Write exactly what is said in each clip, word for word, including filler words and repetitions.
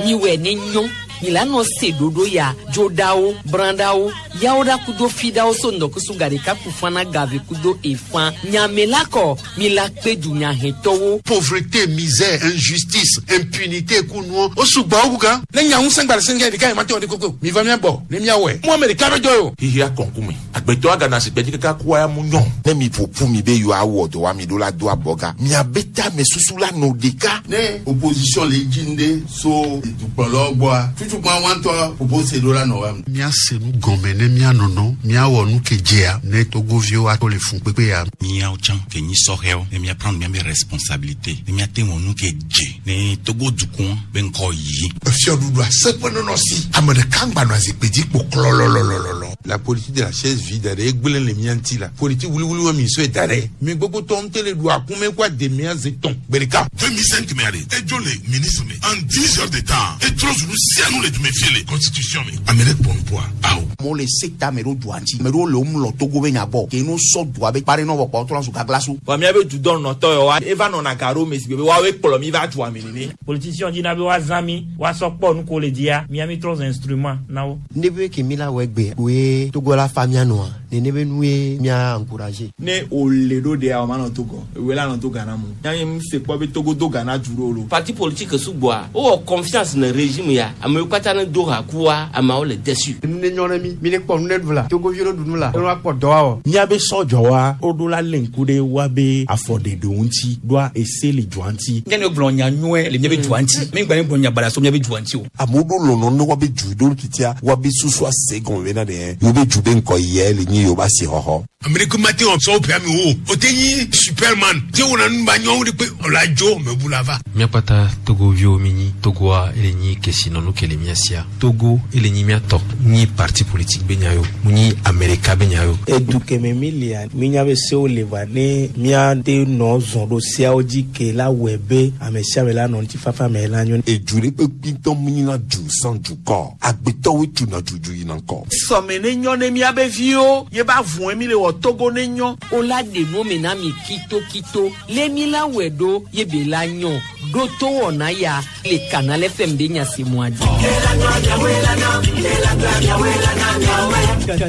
Miwɛ ne nyɔ mi la nɔ se ɖoɖo ya dzoɖawo brãɖawo yawo ɖa kudo fiɖawo so ŋdɔkusu gaɖeka ku fana gave kudo efã nyame la kɔ mi la kpe dunyahɛtɔwo. Pauvreté, misère, injustice, impunité kunuɔ o sugbɔ wu gan. Ne nya ŋusẽ gba le sɛngɛ ɖeka yi ma te wɔ ɖe koko mi va mía gbɔ ne míawɔe mu ame ɖeka bɛ dɔ ye o. Xixia kɔnkume agbetɔ agana si gbɛdzi kaka kua ya mu nyɔ. Ne mi ƒoƒu mi be yewoawɔ dɔ wa mi ɖo la do abɔga miabe tame susu la nɔ ɖeka. Ne opposition le dzi ŋɖe so dukplɔlawo gbɔa tutukpa wɔntɔ propose ɖo la nɔ wa. Míase nu gɔme ne míanɔnɔ míawɔ nu ke dzea ne togoviwo ato le fun kpekpe ya. Míawo tsã ke nyi sɔhɛwo ne míaprendre míabe responsabilité ne míate wɔ nu ke dze ne Togo dukɔ be ŋkɔ yi. Fiɔɖuɖu aseƒe nɔnɔ si ame ɖeka ŋgba nɔ azikpui dzi kpo klɔlɔlɔlɔlɔ. La politique de la chaise vide ɖe egblẽ le mía ŋuti la politique wuliwuli wa mi sɔe da ɖe mi gbogbo tɔ ŋutɔ le ɖu akume kó ademia ze tɔn gbe ɖeka. deux mille cinq mɛ ale edzo le ministre me en dix heures de temps etrɔ zunu sianu le dume fie le constitution me ame ɖe kpɔ nupoa awo. Amewo le se ta ame ɖewo dua ŋuti ame ɖewo le wo mlɔ Togo be nya gbɔ ke no sɔ dua be kpa ɖe nɔ vɔ kpɔ trɔ zu gagla so. Wa míabe dudɔ nɔtɔ yɔ wa eva nɔna ga ɖo me si be woawoe kplɔ mi va dua me nene. Politicien dina be woazã mi woasɔ kpɔ nu ko le dzia mía mi trɔ zu instrument na wo. Ne be ke mi la wɔ egbe koe Togo la fa mía nɔa nene be nu ye mía encourager. Ne o le ɖo ɖea o ma nɔ Togo ewe la nɔ to Ghana mu yanyi mu se kpɔ be Togo do Ghana du ɖo lo. Parti politique sugbɔa wowɔ confiance ne régime ya amewo katã ne do ha kua ameawo le déçu. Nu ne nyɔ ne mi mi ne kpɔ nu ne ɖu la Togoviwo ne ɖu nu la ne woakpɔ dɔ awɔ. Míabe sɔdzɔwa woɖo la lé ŋku ɖe woabe afɔɖeɖewo ŋuti ɖoa ese le dua ŋuti. Nye ne gblɔ nya nyuie le míabe dua ŋuti mi gba ne gblɔ nya baɖa so míabe dua ŋuti o. Amewo ɖo lɔlɔ ne woabe du ɖo titia woabe susu ase gɔme bena ɖe yewo be du be ŋkɔ yɛ le nyi yewo be asixɔxɔ. Ame ɖeke ma te wɔ sɔwɔ ƒe ame wo o te nyi superman te wɔna nu ba nyɔwo de kpe ɔla dzo me bu la va. Míakpata togoviwo mi nyi Togoa ele nyi kesinɔnu ke le mía sia Togo ele nyi míatɔ nyi parti politique be nya yo mu nyi Amerika be nya yo. Edu keme mi lia minya be sewo le va ne míate nɔ zɔn ɖo seawo dzi ke la wɔe be ame sia ame la nɔ ŋutifafa me la nyo. Edu ɖe kpekpe ŋutɔ mu nyina du sans dukɔ agbetɔwoe tuna dudu yina ŋkɔ. Sɔme ne nyɔ ne míabe viwo ye ba vɔe mi le wɔ Togo ne nyɔ. O la ɖe nu me na mi kitokito lé mi la wɛ ɖo ye be la nyɔ ɖo to wɔna ya le Canal F M be nyasemua dzi.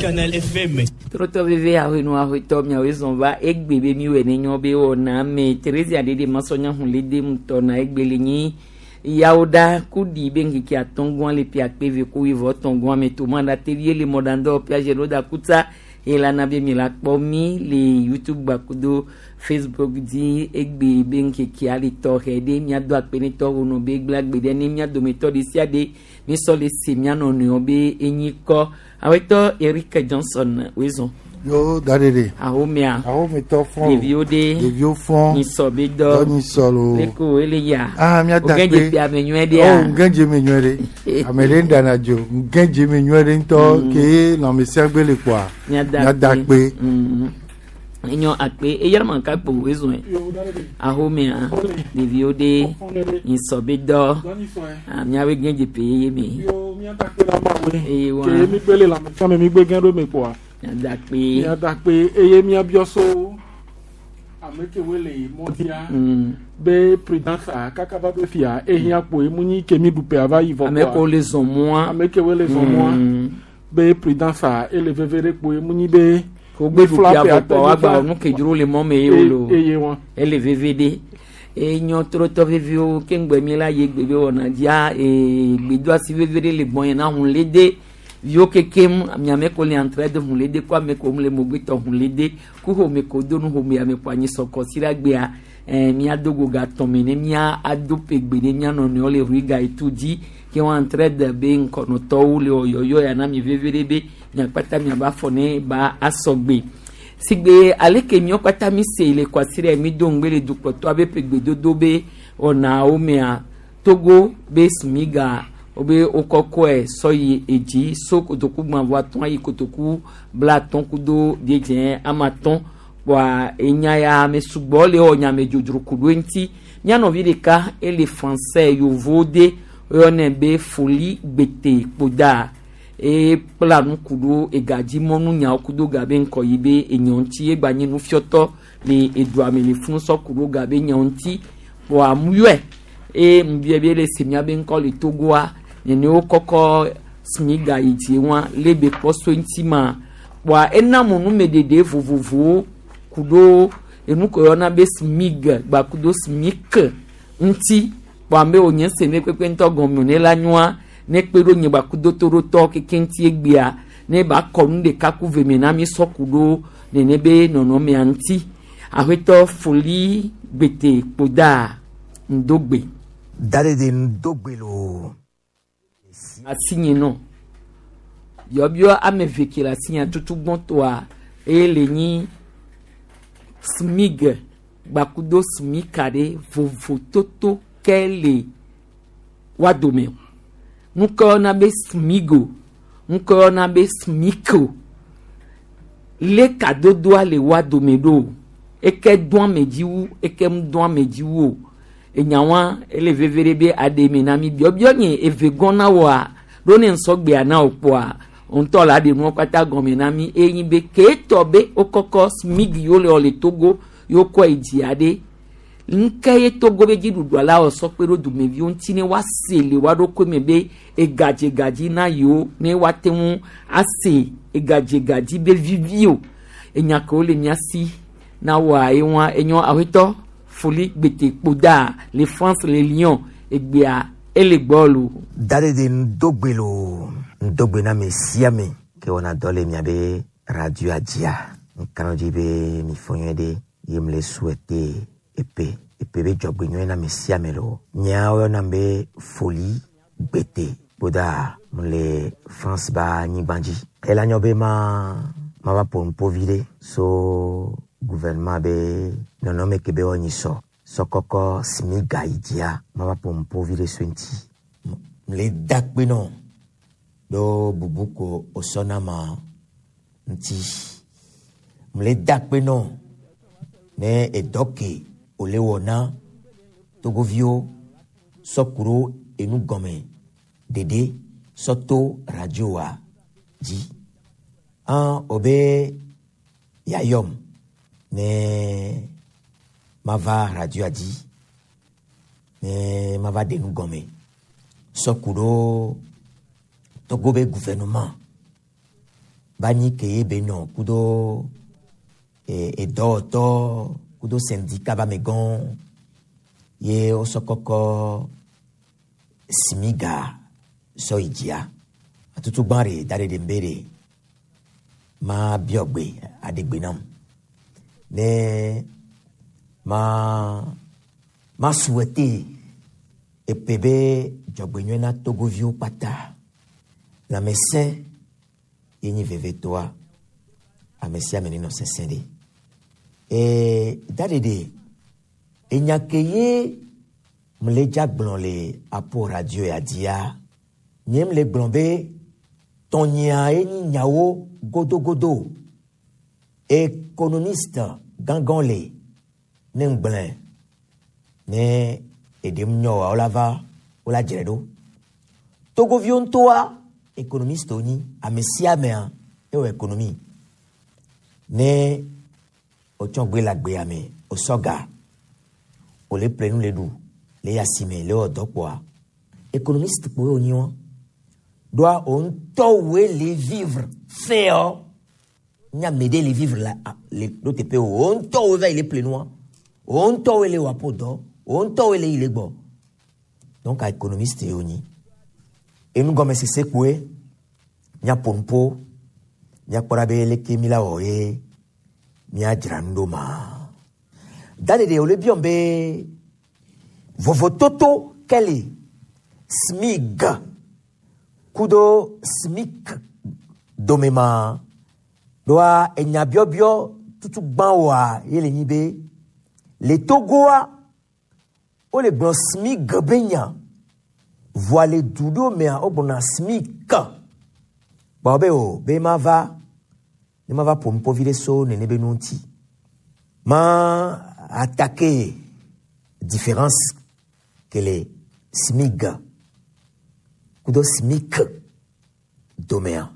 Canal F M. Trɔtɔ veve ahenu ahotɔ miawoe zɔn va egbe be mi wɛ ne nyɔ be wɔna me Teresa ɖeɖe masɔnya hun le dem tɔ na egbe le nyi yawo ɖa kuɖi be ŋkeke atɔ̃gɔa le ƒe akpe eve ko wuieve etɔ̃gɔa me to ma ɖa tevi le mɔɖaŋdɔ ƒe ɖo da kutsa elana be mi la kpɔ mi le YouTube gbakudo Facebook dzi egbe be ŋkekea le tɔxɛ ɖe miado akpe ne tɔwo nɔ be gblẽ agbe ɖe ne mia dometɔ ɖe sia ɖe misɔ le se mia nɔnɔewo be enyi kɔ awetɔ Eric Johnson wezɔn. Yo daɖeɖe. Ahomea. Ahometɔ fɔn. Ɖeviwo ɖe. Ɖeviwo fɔn. Nyisɔ be dɔ. Dɔ nyisɔ lo. Leko ele ya. Ah mía da kpe. Kpe. Ŋgɛdze ame nyuie ɖea. Oh ŋgɛdze me nyuie ɖe. Ame ɖe ŋɖana dzo. Ŋgɛdze me nyuie ɖe ŋutɔ ke lãmesẽ gbe le kpoa. Mía da Mía da kpe. Mm. Enyɔ akpe eyara ma ka kpo wezɔn ahomea ɖeviwo ɖe nyisɔ be dɔ ah miawoe gɛdze pe yeye me. Eye wa. Ke mi gbe le lãmesẽ me mi gbe gẽ ɖo me kpoa. Mía da kpe. Mía da kpe eye míabiɔ so ame kewoe le mɔdzia Mm. be prudence a kaka va ɖo fia ehiã kpoe mu nyi ke mi ɖu ƒea va yi vɔ Ame kewo le zɔn mɔa. Ame kewoe le zɔn mɔa Mm. be prudence a ele veve ɖe kpoe mu nyi be ko gbe ɖu ƒea vɔ kpoa woagba nu ke dzro le mɔ me ye wo lo eye wa. Ele veve ɖe enyɔ trɔtɔ veviwo ke ŋgbɛ mi la ye gbe be wɔna dzia ee gbedoasi veve ɖe le gbɔn yɛn na hun le de viwo kekem miame ko le entraide hun le de ko ame ko mu le mogbetɔ hun le de ku home ko do nu home ame ko anyi sɔkɔ si la gbea ɛɛ mía do go gatɔn me ne mía ado pe gbe ne mía nɔnɔewo le rui ga etu dzi ke wɔn entraide be ŋkɔnɔtɔwo le wɔyɔyɔ ya na mi veve ɖe be miakpata miaba afɔ ne ba asɔgbe sigbe aleke miɔ kpata mi se le kwasi ɖe mi do ŋgbe le dukplɔtɔ abe ƒe gbedodo be wɔnawo mea Togo be smiga wobe wokɔkɔe sɔ yi edzi so kotoku gbãvɔ atɔ̃ ayi kotoku bla atɔ̃ kudo diedze ama atɔ̃ kpoa enya ya ame sugbɔ le wɔ nyame dzodzro ku ɖo eŋuti mía nɔvi ɖeka ele français yovo de woyɔnɛ be Foli Gbete Kpoda ekpla nu ku ɖo egadzimɔnu nyawo kudo ga be ŋkɔ yi be enyawo ŋuti egba nye nufiɔtɔ le edua me le funu sɔ ku ɖo ga be nyawo ŋuti kpoa muyɔe Eye ŋbia be le se miabe ŋkɔ le Togoa nene wo kɔkɔ smiga yi dzi wa le be kpɔ so ŋuti ma kpoa ena mo numeɖeɖe vovovowo ku ɖo enu ke woyɔna be smig gbakudo smik ŋuti kpoa ame wònye se ne kpekpe ŋutɔ gɔme ne la nyoa ne kpe ɖo nye gbakudo to ɖo tɔ keke ŋuti egbea ne ba kɔ nu ɖeka ku ve me na mi sɔ ku ɖo nene be nɔnɔmea ŋuti aƒetɔ foli gbete kpoda ŋdogbe. Dadede ŋdogbe loo. Asinye nɔ biɔbiɔ ame eve ke le asinya tutu gbɔtɔa eye le nyi smig gbakudo smika ɖe vovototo ke le wa dome ŋkɔ yɔna be smigo ŋkɔ yɔna be smiko le kadodoa le wa dome ɖo eke dɔn ame dzi wu eke mu dɔn ame dzi wu o enyawa ele veve ɖe be aɖe me na mi biɔbiɔ nye eve gɔn na wɔa ɖo ne nsɔgbea na o kpoa ŋutɔ la ɖe nuwo katã gɔme na mi eye nyi be keetɔ be wokɔkɔ smig yiwo le wɔ le Togo yiwo kɔ yi dzia ɖe ŋke ye Togo be dziɖuɖua la wɔ sɔ kpe ɖo dumeviwo ŋuti ne woase le woa ɖokui me be egadzedzi na yewo ne woate ŋu ase egadzedzi be vivi o enya kewo le mía si na wɔa ye wa enyɔ aƒetɔ foli gbete kpoda le France le Lyon egbea ele gbɔ lo. Dadede ŋdogbe loo ŋdogbe na ame sia ame ke wɔna dɔ le miabe radioa dzia ŋkana dzi be mi fɔ nyuie ɖe ye mle souhaiter epe epe be dzɔgbe nyuie na ame sia ame loo nyea woyɔnam be foli gbete kpoda mle France ba anyigba dzi ela nyɔ be ma mava ƒo nuƒo vi ɖe so gouvernement be nɔnɔme ke be wɔnyi sɔ sɔkɔkɔ smiga yi dzia mava ƒo nuƒo vi ɖe so eŋuti mle da akpe nɔ ɖo bubu ko wòsɔ na ma ŋuti mle da akpe nɔ ne edɔ ke wòle wɔ na togoviwo sɔ ku ɖo enu gɔme ɖeɖe sɔ to radioa dzi an wobe yayɔm ne mava radioa dzi ne mava ɖe nu gɔme sɔ ku ɖo Togo be gouvernement ba nyi ke ye be nɔ kudo edɔwɔtɔ kudo syndicat ba amegã ye wosɔ kɔkɔ smiga sɔ yi dzia atutu gbã ɖe da ɖe ɖe be ɖe ma biɔ gbe aɖe gbe nam ne ma ma souhaiter epe be dzɔgbenyuie na togoviwo kpata lãmesẽ ye nyi vevetoa ame sia ame nenɔ sesẽ ɖe ee daɖeɖe enya ke ye mle dza gblɔ le apo radio ya dzia nye mle gblɔ be tɔnyea ye nyi nyawo godogodo économiste gãgã le ne ŋgblẽ ne eɖem nyɔ wa wola va wola dzre ɖo togoviwo ŋutɔa économiste wonyi ame sia amea ewɔ économie ne wotsɔ gbe le agbea me wòsɔ ga wòle ƒle nu le ɖu le yi asime le wɔ dɔ kpoa économiste kpoe wonyi wa ɖoa wo ŋutɔ woe le vivre fɛɔ nye ame ɖe le vivre la le ɖo teƒe o wo ŋutɔ woe va yi le ƒle nua wo ŋutɔ woe le wɔ aƒo dɔ wo ŋutɔ woe le yi le gbɔ donc économiste ye wonyi enugɔmesese kpoe míaƒo nuƒo míakpɔ ɖa be leke mi la wɔ ye míadzra nu ɖo ma daɖeɖe wòle biɔm be vovototo ke le smig kudo smik dome ma ɖoa enya biɔbiɔ tutu gbã wɔa ye le nyi be le Togoa wole gblɔ smig be nya voa le du ɖewo mea wogblɔna smik kpɔ be o be mava ne mava ƒo nuƒo vi ɖe so nene be nu ŋuti ma attaquer différence ke le smig kudo smik domea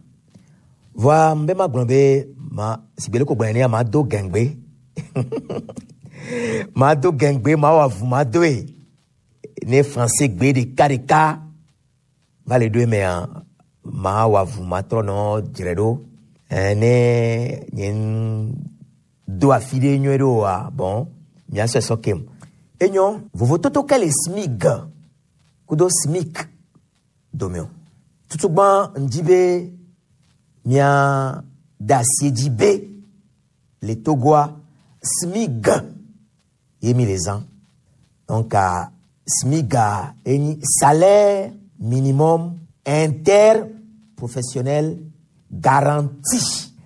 voa mbe ma gblɔ be ma sigbe le ko gblɔ nenea ma do gɛngbe ma do gɛngbe ma wɔ avu ma doe Ne français gbe ɖeka ɖeka va le ɖo emea ma wɔ avu ma trɔ nɔ dzre ɖo. Eh, ne nye ŋ- do afi ɖe nyuie ɖe oa bon miasɔe sɔ kem. Enyo vovototo ke le SMIG kudo SMIC dome o. Tutugbã ŋdi be mia da asi edzi be le Togoa SMIG ye mi le zã. Donc ah, SMIG ah, enyi salaire minimum interprofessionnel garanti.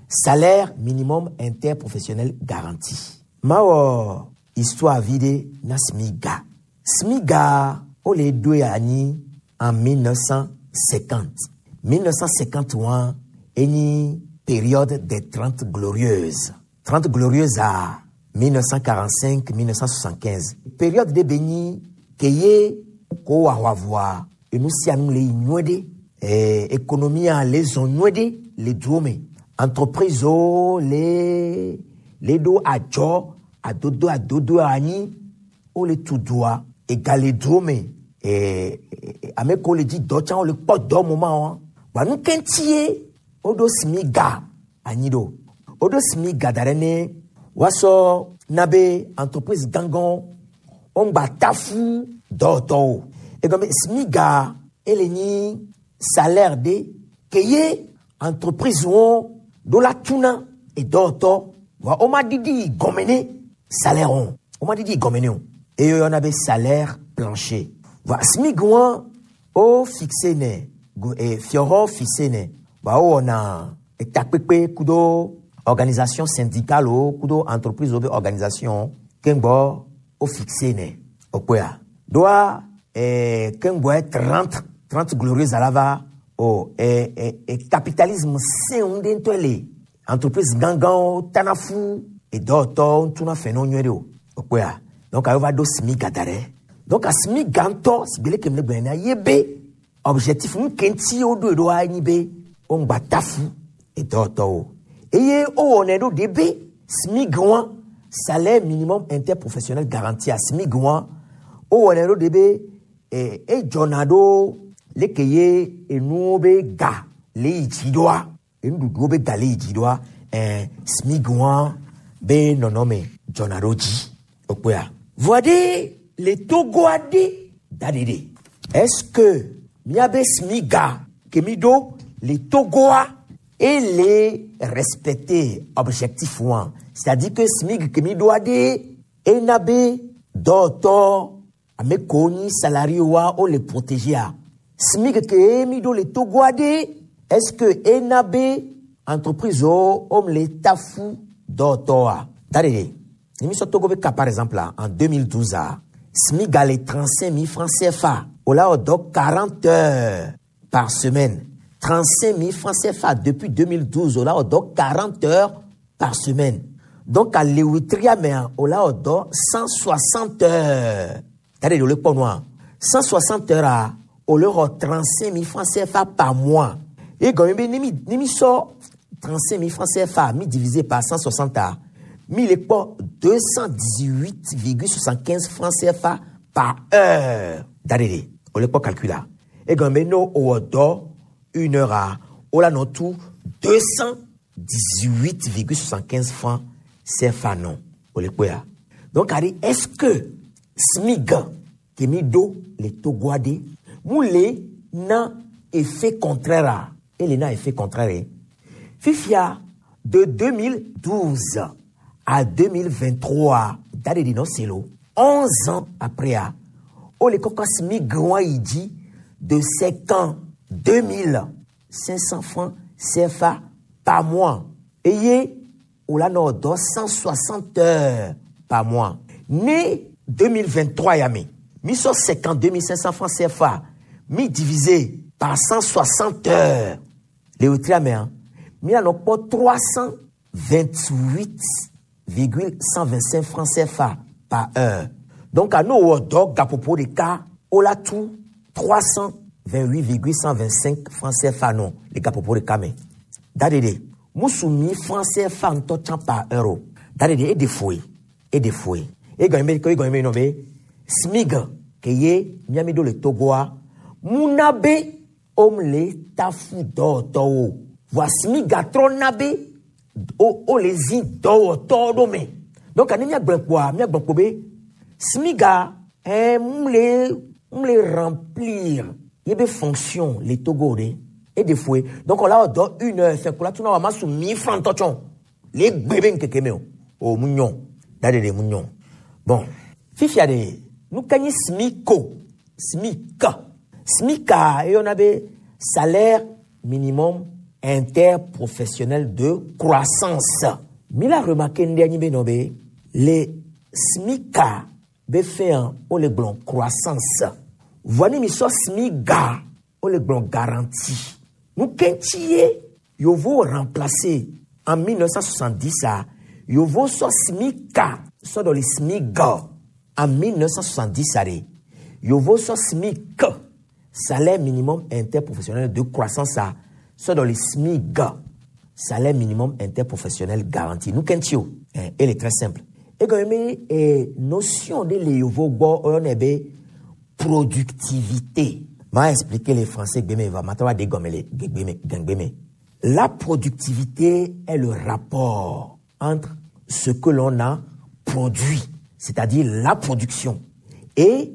Salaire minimum interprofessionnel garanti. Mawɔ histoire vi ɖe na SMIGA. SMIGA wole ɖoe anyi en mille neuf cent cinquante. mille neuf cent cinquante et un enyi période des Trente Glorieuses. Trente Glorieuses à mille neuf cent quarante-cinq-mille neuf cent soixante-quinze. Période ɖe be nyi ke ye ko wɔ aʋaʋɔa enu sia nu le yi nyuie ɖe. Eh, économie le zɔn nyuie ɖe le duwo me. Entreprise wo le le ɖo adzɔ adodo adodo anyi wole tu dua ega le duwo me. Eh, eh, ame kewo le dzi dɔ tsã wole kpɔ dɔ moment wa. Wa nu ke ŋuti ye woɖo SMIGA anyi ɖo. Woɖo SMIGA da ɖe ne woasɔ na be entreprise gãgãwo woŋgba tafu dɔwɔtɔwo. Egɔme SMIGA ele nyi salaire ɖe ke ye entreprise wo ɖo la tuna edɔwɔtɔ wa woma ɖiɖi yi gɔme ne salaire wo woma ɖiɖi yi gɔme ne o eye woyɔna be salaire plancher. Va SMIG wa wo fixe nɛ go eh, fiɔhɔ fixe nɛ wa wowɔna etakpekpe kudo organisation syndicale wo kudo entreprise wo be organisation keŋgbɔ wo fixe nɛ okpɔa ɖoa eh, keŋgbɔe trente trente glorieuses ala va o eh, eh, eh, capitalisme sẽŋu ɖe ŋutɔe le entreprise gãgãwo tana fu edɔwɔtɔwo ŋutuna fɛ ne wo nyuie ɖe o okpɔa donc ayo va ɖo SMIGA da ɖe. Donc SMIGA ŋutɔ si gbe leke mi le gblɔe nea ye be objectif nu ke ŋuti woɖoe ɖoa enyi be woŋgba tafu edɔwɔtɔwo eye wowɔnɛ ɖo ɖe be SMIG wa salaire minimum interprofessionnel garanti a SMIG wa wowɔnɛ ɖo ɖe be eh, edzɔna ɖo leke ye enuwo be ga le yi dzi ɖoa enuɖuɖuwo be ga le yi dzi ɖoa eh, SMIG wa be nɔnɔme dzɔna ɖo dzi okpɔa. Voa ɖe le Togoa ɖe da ɖe ɖe est-ce que miabe SMIGA ke mi ɖo le Togoa ele respecter objectif wa, c'est-à-dire que SMIG ke mi ɖoa ɖe ena be dɔwɔtɔ ame kewo nyi salarié wa wole protéger a SMIG ke mi ɖo le Togoa ɖe est-ce que ena be entreprise wo wome le tafu dɔwɔtɔa da ɖe ɖe ni mi sɔ Togo be cas par exemple a, en deux mille douze a SMIG a le trente-cinq mille francs C F A o la wɔ dɔ quarante heures par semaine. trente-cinq mille francs C F A depuis deux mille douze o la wɔ dɔ quarante heures par semaine. Donc a le wetria mea o la wɔ dɔ cent soixante heures da ɖe ɖe o le kpɔ nua cent soixante heures a o le xɔ trente-cinq mille francs C F A par mois. Ye gɔme be ni mi ni mi sɔ trente-cinq mille francs C F A mi divisé par cent soixante a mi le kpɔ deux cent dix-huit virgule soixante-quinze francs C F A par heure da ɖe ɖe o le kpɔ calcul a egɔme be no o wɔ dɔ une heure a o la nɔ tu deux cent dix-huit virgule soixante-quinze francs C F A nɔ o le kpɔe ya. Donc ari est-ce que SMIG ke mi ɖo le Togoa ɖe mu le na effet contraire a ele na effet contraire ye fifia de deux mille douze à deux mille vingt-trois da ɖe ɖi nɔ se lo onze ans après a wole kɔkɔ SMIG wa yi dzi de cinquante-deux mille cinq cents francs C F A par mois eye wòla nɔ dɔ cent soixante heures par mois. Ne deux mille vingt-trois ya me mi sɔ cinquante-deux mille cinq cents francs C F A mi divisé par cent soixante heures le wetria mea mi la nɔ kpɔ trois cent vingt-huit virgule cent vingt-cinq francs C F A par heure. Donc a n'o wɔ dɔ gaƒoƒo ɖeka wola tu trois cent vingt-huit virgule cent vingt-cinq francs C F A nɔ le gaƒoƒo ɖeka me. Da ɖeɖe musu mi francs C F A ŋutɔ tsã par heure o da ɖeɖe eɖe foe eɖe foe egɔme be egɔme be nɔ be SMIG Ke ye miami ɖo le Togoa muna be om le tafu dɔwɔtɔwo voa SMIG trɔ na be o o le zi dɔwɔtɔwo ɖo me donc ani miagblɔ kpoa miagblɔ kpo be SMIG ɛɛ mu le mu le remplir ye be fonction le Togo de e de foe donc on la wɔ dɔ une heure fɛ kola tuna wa ma su mille francs tɔtsɔn le gbe be ŋkeke me o o mu nyɔ da de de mu nyɔ bon fifia de nu ka nyi SMICO SMIC SMIC eyɔna be salaire minimum interprofessionnel de croissance mi la remarqué ndé anyi be nɔ be le SMIC be fɛn wo le gblɔ croissance voa ni mi sɔ SMIGA wo le gblɔ garantie nu ke ŋuti ye yovo remplacé en mille neuf cent soixante-dix a yovo sɔ SMIC sɔ dɔ le SMIGA en mille neuf cent soixante-dix a de yovo sɔ SMIC, salaire minimum interprofessionnel de croissance, a sɔ dɔ le SMIGA, salaire minimum interprofessionnel garanti. Nu ke ŋuti o eh, elle est très simple egɔme be eh, notion de le yovo gbɔ oyɔnɛ be productivité. Ma expliquer les français gbeme va ma wa de gɔme le gbeme gbeme. La productivité est le rapport entre ce que l'on a produit, c'est-à-dire la production, et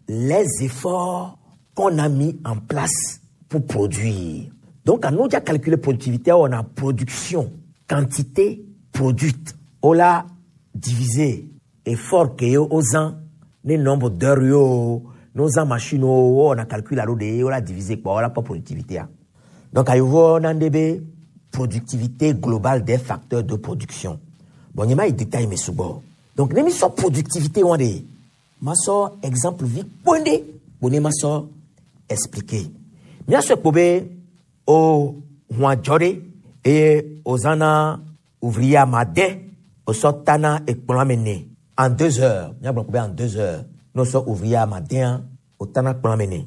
les efforts qu'on a mis en place pour produire. Donc, quand nous avons calculé productivité, on a production, quantité produite. On l'a divisé effort que yo aux ans, le nombre d'heures yo, nos ans machine, on a calculé la on l'a divisé quoi, on a pas productivité. Donc, à on a productivité globale des facteurs de production. Bon, il y a des détails, mais sous. Donc, les missions productivité, on dit, ma so exemple vi ponde, bone ma so expliquer. Mia so kpobe o huan jore et ozana ouvrier ma de o so tana e kplɔn en deux heures. Mia gblɔ kpobe en deux heures. No so ouvrier ma de o tana kplɔn mene.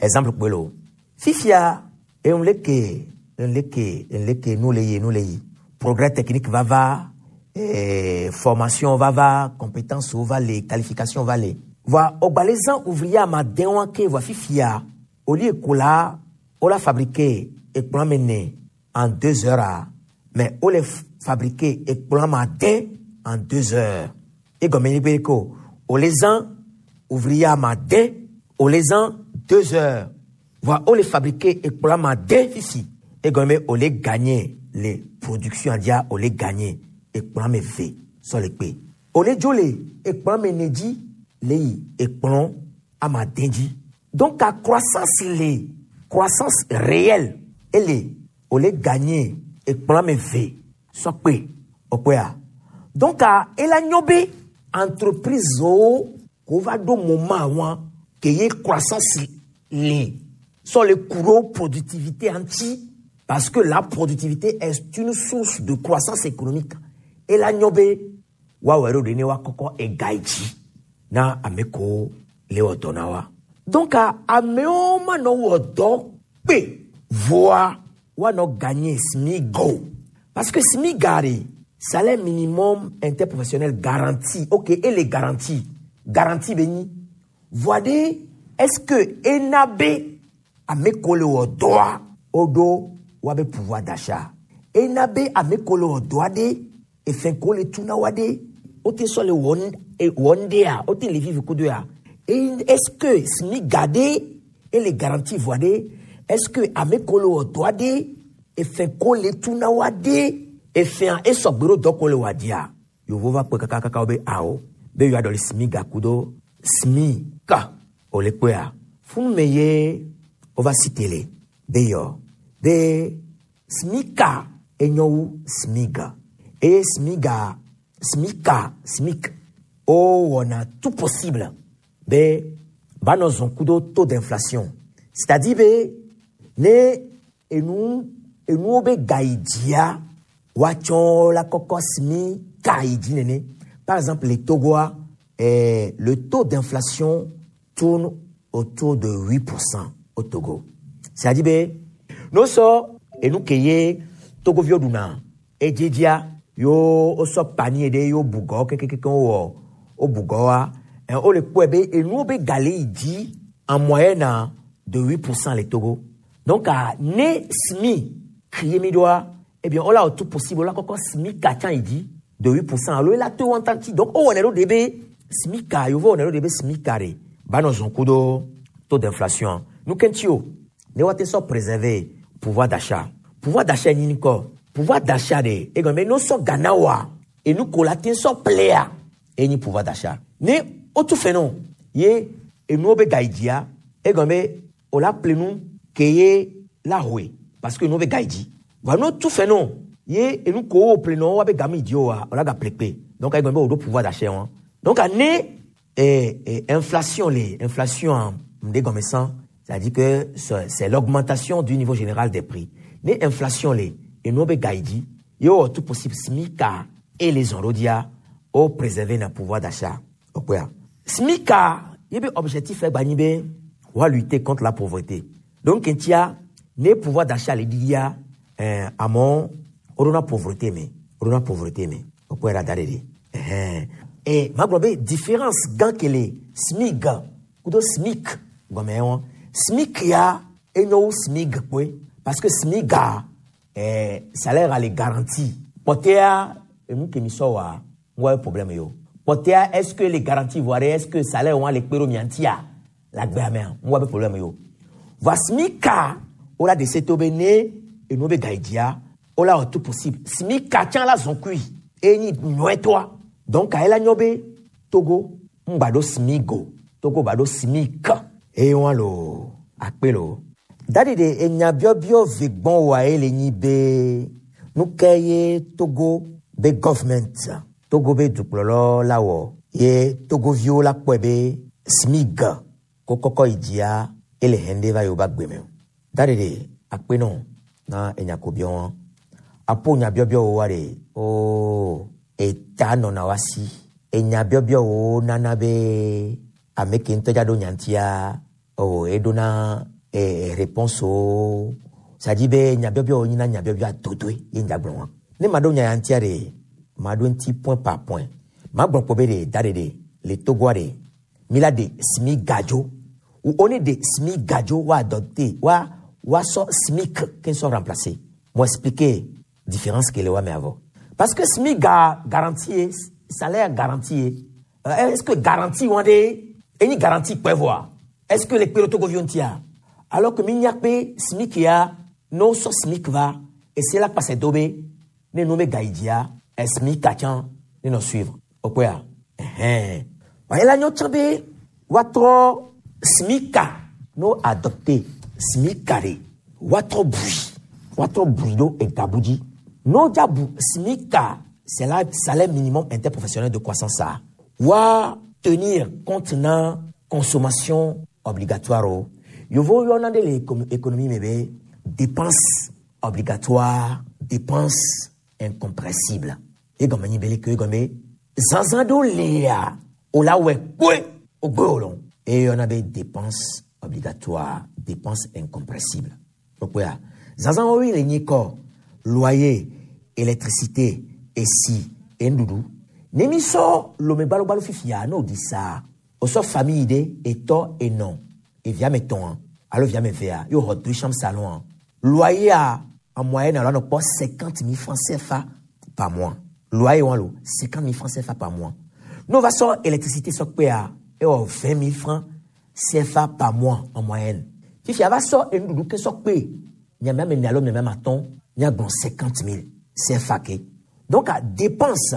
Exemple kpelo. Fifia e on leke, on leke, on leke nous le yi, nous le yi. Progrès technique va va eh, formation va va, compétences va les, qualifications va les. Va ogbalezan ouvrier ma den ke va fifia au lieu kola on l'a fabriqué et mene en deux heures, mais on l'a fabriqué et ma den en deux heures. Et comme il ko o les ans ouvrier ma den o les ans deux heures. Va on les fabriqué et ma den fifi. Et comme on les gagner les productions dia on les gagner et me ve sur les p. O les jolé et me neji les et ama denji. Donc la croissance les croissance réelle elle est on les gagner et me ve so p o. Donc à ela nyobe entreprise o ko va do moment wa que ye croissance les sur le courant productivité anti parce que la productivité est une source de croissance économique. Ela nyobe wa wero de ne wa koko e gaiji na ameko le odona wa. Donc amewo ma nɔ wɔ dɔ kpe voa wa nɔ gagner SMIGO parce que SMIGA de salaire minimum interprofessionnel garanti, ok, et les garanties garantie be nyi voa de est-ce que ena be ame ko le wɔ dɔa o do wa be pouvoir d'achat ena be ame ko le wɔ dɔa de efɛn ko le tuna wa de o te sɔ le wɔ wɔ ndea o te le vivre kudo ya. Est-ce que SMIGA de et les garanties voa de est-ce que ame ko le wɔ dɔa de efɛn ko le tuna wa de efɛn esɔgbero dɔ ko le wa dia yovo va kpe kakakaka wo be awo be yoa dɔ le SMIGA kudo SMIC o le kpea funu me ye o va si tele be yɔ be SMICA enyo wu SMIGA eye SMIGA SMICA SMIC o wɔna tout possible be ba nɔ zɔn kudo taux d'inflation, c'est-à-dire be ne enu enuwo be ga yi dzia woatsɔ la kɔkɔ SMICA yi dzi nene. Par exemple, les Togoa, eh, le taux d'inflation tourne autour de huit pour cent au Togo, c'est-à-dire be no sɔ enu ke ye togoviwo ɖuna edzedzia yo wosɔ panier ɖe yo bugɔ kekekeke wowɔ wo bugɔ wa Ɛn wole kpɔe be enuwo be ga le yi dzi en moyenne de huit pour cent le Togo. Donc ah, ne SMIC ye mi ɖoa, eh bien wola wɔ tout possible wola kɔkɔ SMIC tsã yi dzi de huit pour cent alo ela to wɔn tanti. Donc wowɔnɛ ɖo de be SMIC yevu wɔnɛ ɖo de be SMIC ɖe ba nɔ zɔn kudo taux d'inflation. Nu ke ŋuti o ne woate sɔ préserver pouvoir d'achat. Pouvoir d'achat nyi ŋkɔ pouvoir d'achat de egɔme be ne wosɔ ga na woa, enu ko la te sɔ plea enyi pouvoir d'achat. Ne wotu fɛ nɔ ye enuwo be ga yi dzia, egɔme be o la ple nu ke ye la hoe parce que enuwo be ga yi dzi. Voa ne wotu fɛ nɔ ye enu ko wo ple nɔ wa be ga mi dzi oa, o la ga ple kpe. Donc egɔme be o ɖo pouvoir d'achat wɔn. Donc ne eh, eh, inflation le inflation ŋɖe gɔme sã, c'est-à-dire que c'est l'augmentation du niveau général des prix. Ne inflation le enuwo be ga yi dzi ye wowɔ tout possible SMIC et les enrodia o préserver na pouvoir d'achat. Okpea SMIC ye be objectif egba nyi be wa lutter contre la pauvreté. Donc ntia ne pouvoir d'achat le ɖiɖia eh, amewo woɖona pauvreté me woɖona pauvreté me. Okpɔe ɖa da ɖe ɖi ɛhɛn e magblɔ be différence gã ke le SMIG kudo SMIC gɔmɛ wɔn. SMIC ya enyo wu SMIG kpoe parce que SMIG a eh, salaire ale garantie kpɔtɛa enu ke mi sɔ wa ŋgɔ ye problème yo. Kpɔtɛa, est ce que les garanties voire est ce que salaire wɔn le kpe ɖo mia ŋutia le agbea mea, ŋgɔ be problème yo. Voa SMIC wola de se to be ne enuwo be ga yi dzia, wola wɔ tout possible SMIC tsã la zɔn kui eye nyi nyɔɛtɔa. Donc ela nyɔ be Togo ŋgba ɖo SMIG o, Togo ba ɖo SMIC eye wɔn lo akpe lo daɖi ɖe enya biɔbiɔ ve gbɔn wa ye le nyi be nu ke ye Togo be government, Togo be dukplɔlɔ la wɔ ye Togoviwo la kpɔe be SMIG ko kɔkɔ yi dzia ele hɛn ɖe va yewo ba gbe me o. Daɖi ɖe akpe nɔ na enya ko biɔ wɔn apo nya biɔbiɔ wo wa ɖe o eta nɔna wa si enya biɔbiɔ wo nana be ame ke ŋutɔ dza ɖo nya ŋutia o eɖona eh, réponse o. C'est-à-dire be nya biɔbiɔ wo nyina nya biɔbiɔ adodoe ye ŋdza gblɔ wɔn. Ne ma ɖo nya ya ŋutia ɖe, ma ɖo ŋuti point par point. Ma gblɔ kpɔ be ɖe da ɖe ɖe le Togoa ɖe mi la ɖe SMIC gadzo ou on est de SMIC gadzo wa adopté wa wa sɔ SMIC ke sɔ remplacer. Mo expliquer différence ke le wa me avɔ parce que SMIC ga garantie ye salaire garantie ye. Euh, est-ce que garantie wɔn ɖe enyi garantie kpɛ vɔa, est-ce que le kpe ɖo Togoviwo ŋutia? Alors que mi nya kpe SMIC ya, ne wosɔ SMIC va ese la kpasɛ do be ne nu be ga yi dzia, SMIC tsã ne nɔ suivre okpɔa ɛhɛn wa ela nyɔ tsã be woatrɔ SMIC no adopté SMIC ɖe woatrɔ bui woatrɔ bui ɖo egabu dzi. No dza bu SMIC, c'est la salaire minimum interprofessionnel de croissance a wa tenir compte na consommation obligatoire o. Yovo yɔna ɖe le économie me be dépense obligatoire, dépense incompressible. Egɔme nyi be leke egɔme zazã ɖewo lia o la wɔe kpoe o gbe o lɔ eyɔna be dépense obligatoire, dépense incompressible. Okpoea zazã woyi le nyi kɔ loyer, électricité, esi, enuɖuɖu. Ne mi sɔ lome gbalogbalo fifia ne o di sa o sɔ famille ɖe etɔ enɔ evia me tɔn alo via me vea yóò xɔ deux chambres salon, loyer a en moyenne alo anɔ kpɔ cinquante mille francs C F A par mois. Loyer wɔn lo cinquante mille francs C F A par mois. N'o va sɔ électricité sɔ kpea ewɔ vingt mille francs C F A par mois en moyenne. Fifia va sɔ enuɖuɖu ke sɔ kpe miame ame ene alo miame ame atɔ̃ miagblɔ cinquante mille C F A ke. Donc a dépense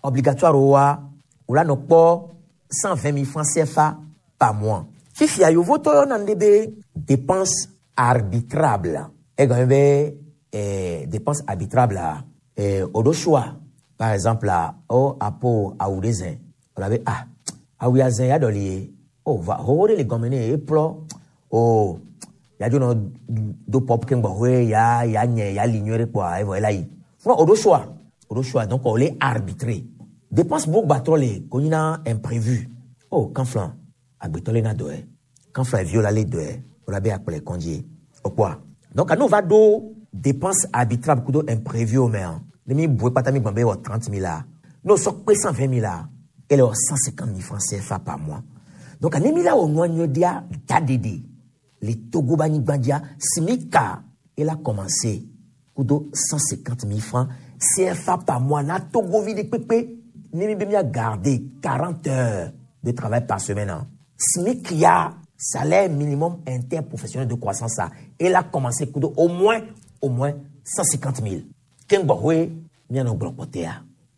obligatoire wa o la nɔ kpɔ cent vingt mille francs C F A par mois. Fifia yovotɔ yɔna nu ɖe be dépense arbitrable. Egɔme be eh, dépense arbitrable a eh, o ɖo choix. Par exemple a o apo awu ɖe zẽ o la be ah awu ya zẽ ya ɖɔli ye o va xoxo ɖe le gɔme ne eplɔ o ya dzo nɔ do pop keŋ gbɔxɔe ya ya nye ya li nyuie ɖe kpoa evɔ ela yi fún o ɖo choix o ɖo choix. Donc o le arbitrer. Dépense bo gbatrɔ le ko nyina imprévu o kanflan agbetɔ le na dɔɛ kanflan eviwo la le dɔɛ o la be akplɔ kɔndzi o kpoa. Donc n'o va ɖo dépense arbitrable kudo imprévu o mea ne mi bu kpata mi gbɔn be wɔ trente mille la n'o sɔ kpe cent vingt mille la Ele wɔ cent cinquante mille francs CFA par mois. Donc ne mi la wɔ nua nyuie ɖea da ɖeɖe le Togo be anyigba dzia SMIC-a ela commencé kudo cent cinquante mille francs CFA par mois na Togovi ɖe kpekpe ne mi be mia garder quarante heures de travail par semaine. Hein. SMIC ya salaire minimum interprofessionnel de croissance ça. Elle a commencé kudo au moins au moins cent cinquante mille. Keŋgbɔ hoe mianɔ gblɔ kpɔtɛa.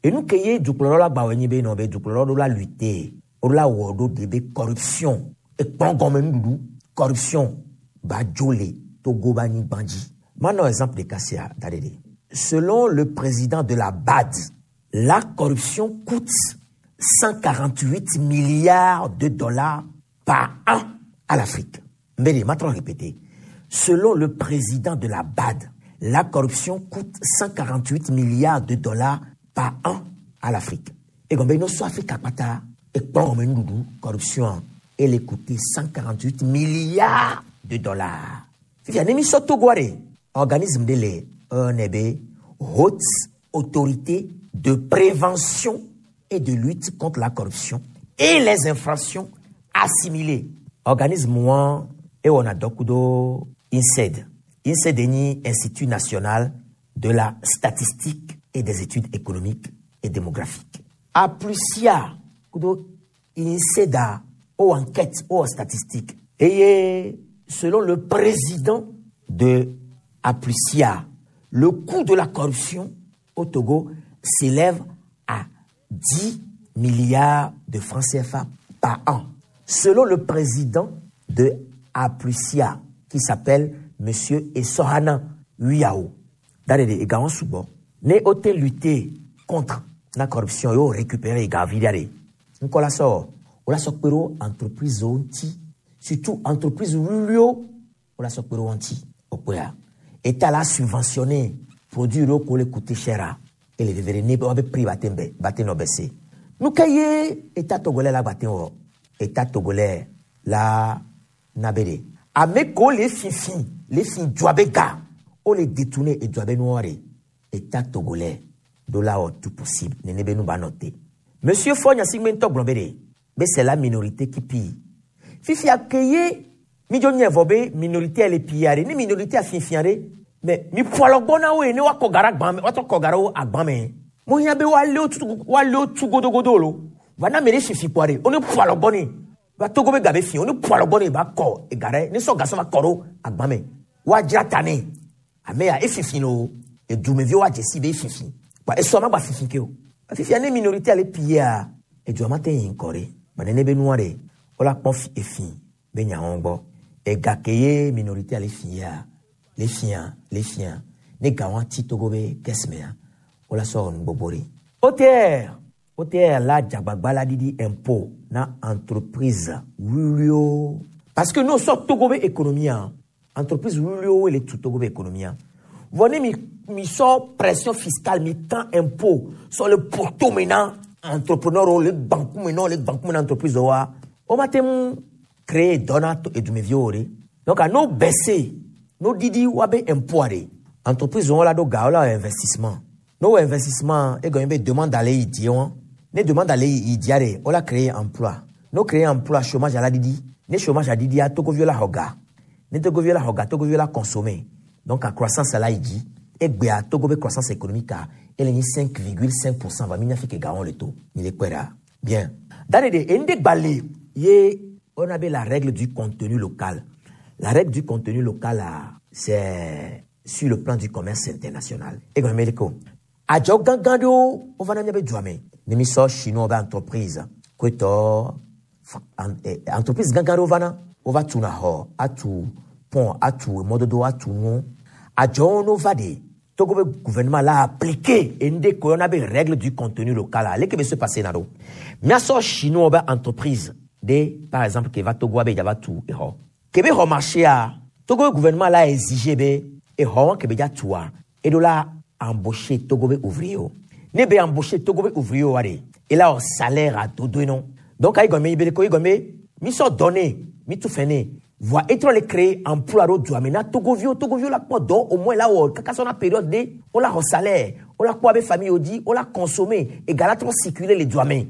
Enu ke ye dukplɔlawo la gba wɔ nyi be nɔ be dukplɔlawo ɖo la lutter wo la wɔ ɖo de be corruption ekplɔ gɔme nuɖuɖu corruption ba dzo le Togo be anyigba dzi. Manɔ exemple ɖeka sia da ɖe ɖe. Selon le président de la BAD, la corruption coûte cent quarante-huit milliards de dollars par an à l'Afrique. Mbele, maintenant répéter. Selon le président de la BAD, la corruption coûte cent quarante-huit milliards de dollars par an à l'Afrique. Et comme nous sommes Afrique akpata, et comme nous corruption, elle coûte cent quarante-huit milliards de dollars. Fifia, nemi soto guare, organisme de l'E N B, haute autorité de prévention et de lutte contre la corruption et les infractions assimilées. Organisme moi et on a dokudo INSED. INSED est Institut national de la statistique et des études économiques et démographiques. A plus ya kudo INSED a ou enquête ou statistique. Et selon le président de Aplusia, le coût de la corruption au Togo s'élève à dix milliards de francs C F A par an. Selon le président de Aplusia, qui s'appelle Monsieur Essohana Huyao, Darede Egaon Soubo, ne ote lutter contre la corruption yo récupérer Gavidare. Nkola so, ola so pero entreprise onti, surtout entreprise wulio, ola so pero onti, opoya. État la subventionné, produit ro ko le coûter cher et les vivre ne ba prix batembe, baten baissé. Nous kaye État togolais la baten wo. État togolais la nabere. Ameko les fifi, les fi djouabega, o les détourner et djouabe noire. État togolais dola o tout possible, nene be nous ba noter. Monsieur Fonya Sigmento Blombere, mais c'est la minorité qui pille. Fifi accueillé mi jo nye vobe minorité elle est pillare, ni minorité a fifiare, mais mi poilo gbona we ne wa kogara gbame, wa to kogara o agbame. Mo hia be wa le o tu, wa le o tu godo godo lo. Va na mere fifi poare, on ne poilo gboni. Va togo be gabe fi, on ne poilo gboni ba ko e gare, ni so gaso va koro agbame. Wa jira tane. Ame ya e fifi no, e du me vi wa jesi be fifi. Ba e so ma ba fifi ke o. Ba fifi ane minorité elle est pillare. E du amate yin kore. Ba nene be noire. Ola pon fi e fi. Be nya ongbo. E gakeye minorité ale fia, les fiens, les fiens. Ne gawan ti togobe kesmea. Ola so ngbobori. O T R, O T R la djagbagba la didi impôt na entreprise wulio. Parce que nous sommes togobe économie. Entreprise wulio et tout togobe économie. Venez mi mi so pression fiscale mi tant impôt sur le porto maintenant entrepreneur le banque maintenant le banque maintenant entreprise wa. O matem créer donato et du meviore. Donc à nous baisser, nos didi wabe empoire. Entreprise on la do ga la investissement. Nos investissement et gagne demande d'aller y dire. Ne demande d'aller y dire on la créer emploi. Nos créer emploi chômage à la didi. Ne chômage à didi à Togo viola hoga. Ne Togo viola hoga Togo viola consommer. Donc à croissance à la idi et à Togo be croissance économique à elle est cinq virgule cinq pour cent va minya fi ke gaon le taux. Ni le kwera. Bien. Dans de ende balé ye on avait la règle du contenu local. La règle du contenu local, c'est sur le plan du commerce international. Et comme Americo, à Jogangando, on va n'amener Djouame. Nemi so chinois ba entreprise. Kweto, entreprise gangando vana, on va tout na ho, a tout pont, a tout mododo, a tout non. A Jono vade. Togo be gouvernement l'a appliqué. Et ndé ko on avait règle du contenu local. Allez que se passer nado. Mais so chinois ba entreprise. De, par exemple, qui va Togo abe va tout et ho. Kebe ho marché a Togo gouvernement l'a exigé be et ho kebe ja tout a. Et de là embaucher Togo be ouvrier. Ne be embaucher Togo be ouvrier ware. Et là on salaire à tout non. Donc ay gomé be ko gomé mi so donné, mi tout fené. Voit être les créer emploi ro du amena Togo vieux Togo vieux la quoi don au moins là où kaka son période de on la salaire, on la quoi be famille odi, on la consommer et gala trop circuler les douamé.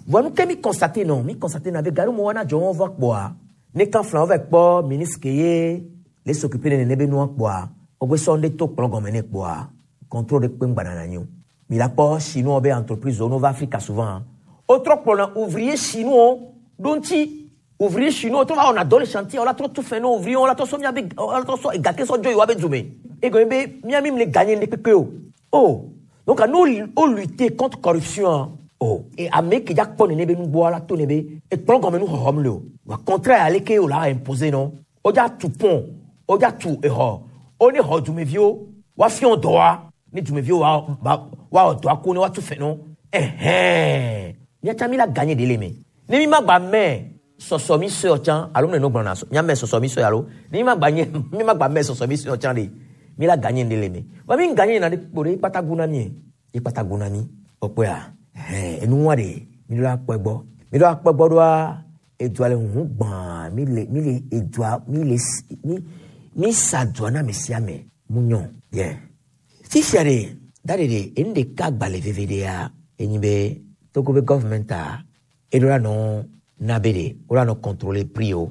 Vɔ nu ke mi constate nɔ mi constate na be gari mo wana dzɔ wɔn va kpɔa ne kan fila wɔn va kpɔ ministre ke ye le s'occuper de nene be nua kpɔa wogbe sɔ ŋɖe to kplɔ gɔme ne kpɔa contrôle ɖe kpe ŋgbana na nyi o mi la kpɔ chinois be entreprise wo no va Afrika souvent wotrɔ kplɔna ouvrier chinois ɖo ŋuti ouvrier chinois trɔ va wɔna dɔ le chantier wola trɔ tu fɛn na ouvrier wola trɔ sɔ miabe wola trɔ sɔ egake sɔ dzo yi woabe dume egɔme be miami le gagné ŋɖe kpekpe o oh donc nous o lutter contre corruption oh et ame ke dza kpɔ nene be nugbɔ la to ne be ekplɔ gɔme nu xɔxɔm le o wa contraire ale ke o la imposer non o dza tu pont o dza tu exɔ o ne xɔ dumeviwo wa fiɔ dɔa ne dumeviwo wa ba wa wɔ dɔa ko ne wa tu fɛn no ɛhɛn miatsa mi la gagné de le me ne mi ma gba mɛ sɔsɔ mi sɔe tsã alo ne no gblɔna mia mɛ sɔsɔ mi sɔe alo ne mi ma gba nye mi ma gba mɛ sɔsɔ mi sɔe tsã de mi la gagné de le me wa mi gagné na de kpo de kpata gu na mi ye ikpata gu na mi ɔkpɔa ɛhɛn enuwa de mi do la kpɔ gbɔ mi do la kpɔ gbɔ doa edua le huhu gbãa mi le mi le edua mi le mi mi sa dua na ame sia ame mu nyɔ yɛ fifia de da de de enu ɖeka gbalẽ veve ɖea enyi be Togo be gɔvmɛnta eɖo la nɔ na be de wo la nɔ contrôler prix o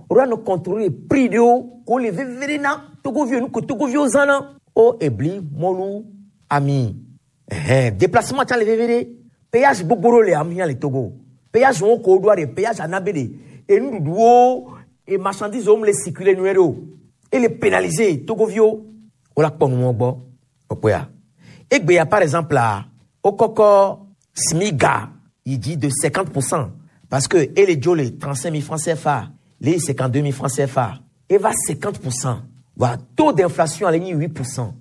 wo la nɔ contrôler prix ɖewo ko le veve ɖe na togoviwo nu ko togoviwo zãna o ebli mɔlu ami ɛhɛn déplacement tsã le veve ɖe péage gbogbo ɖewo le amia le Togo péage wo ko ɖoa de péage ana be de enuɖuɖuwo e marchandise wo mu le circuler nyuie ɖe o ele pénaliser togoviwo wo la kpɔ nuwɔ gbɔ ɔkpɔa egbea par exemple la wokɔkɔ SMIGA yi dzi de cinquante pour cent parce que ele dzo le trente cinq mille francs CFA le cinquante deux mille francs CFA eva cinquante pour cent wa taux d'inflation ale nyi huit pour cent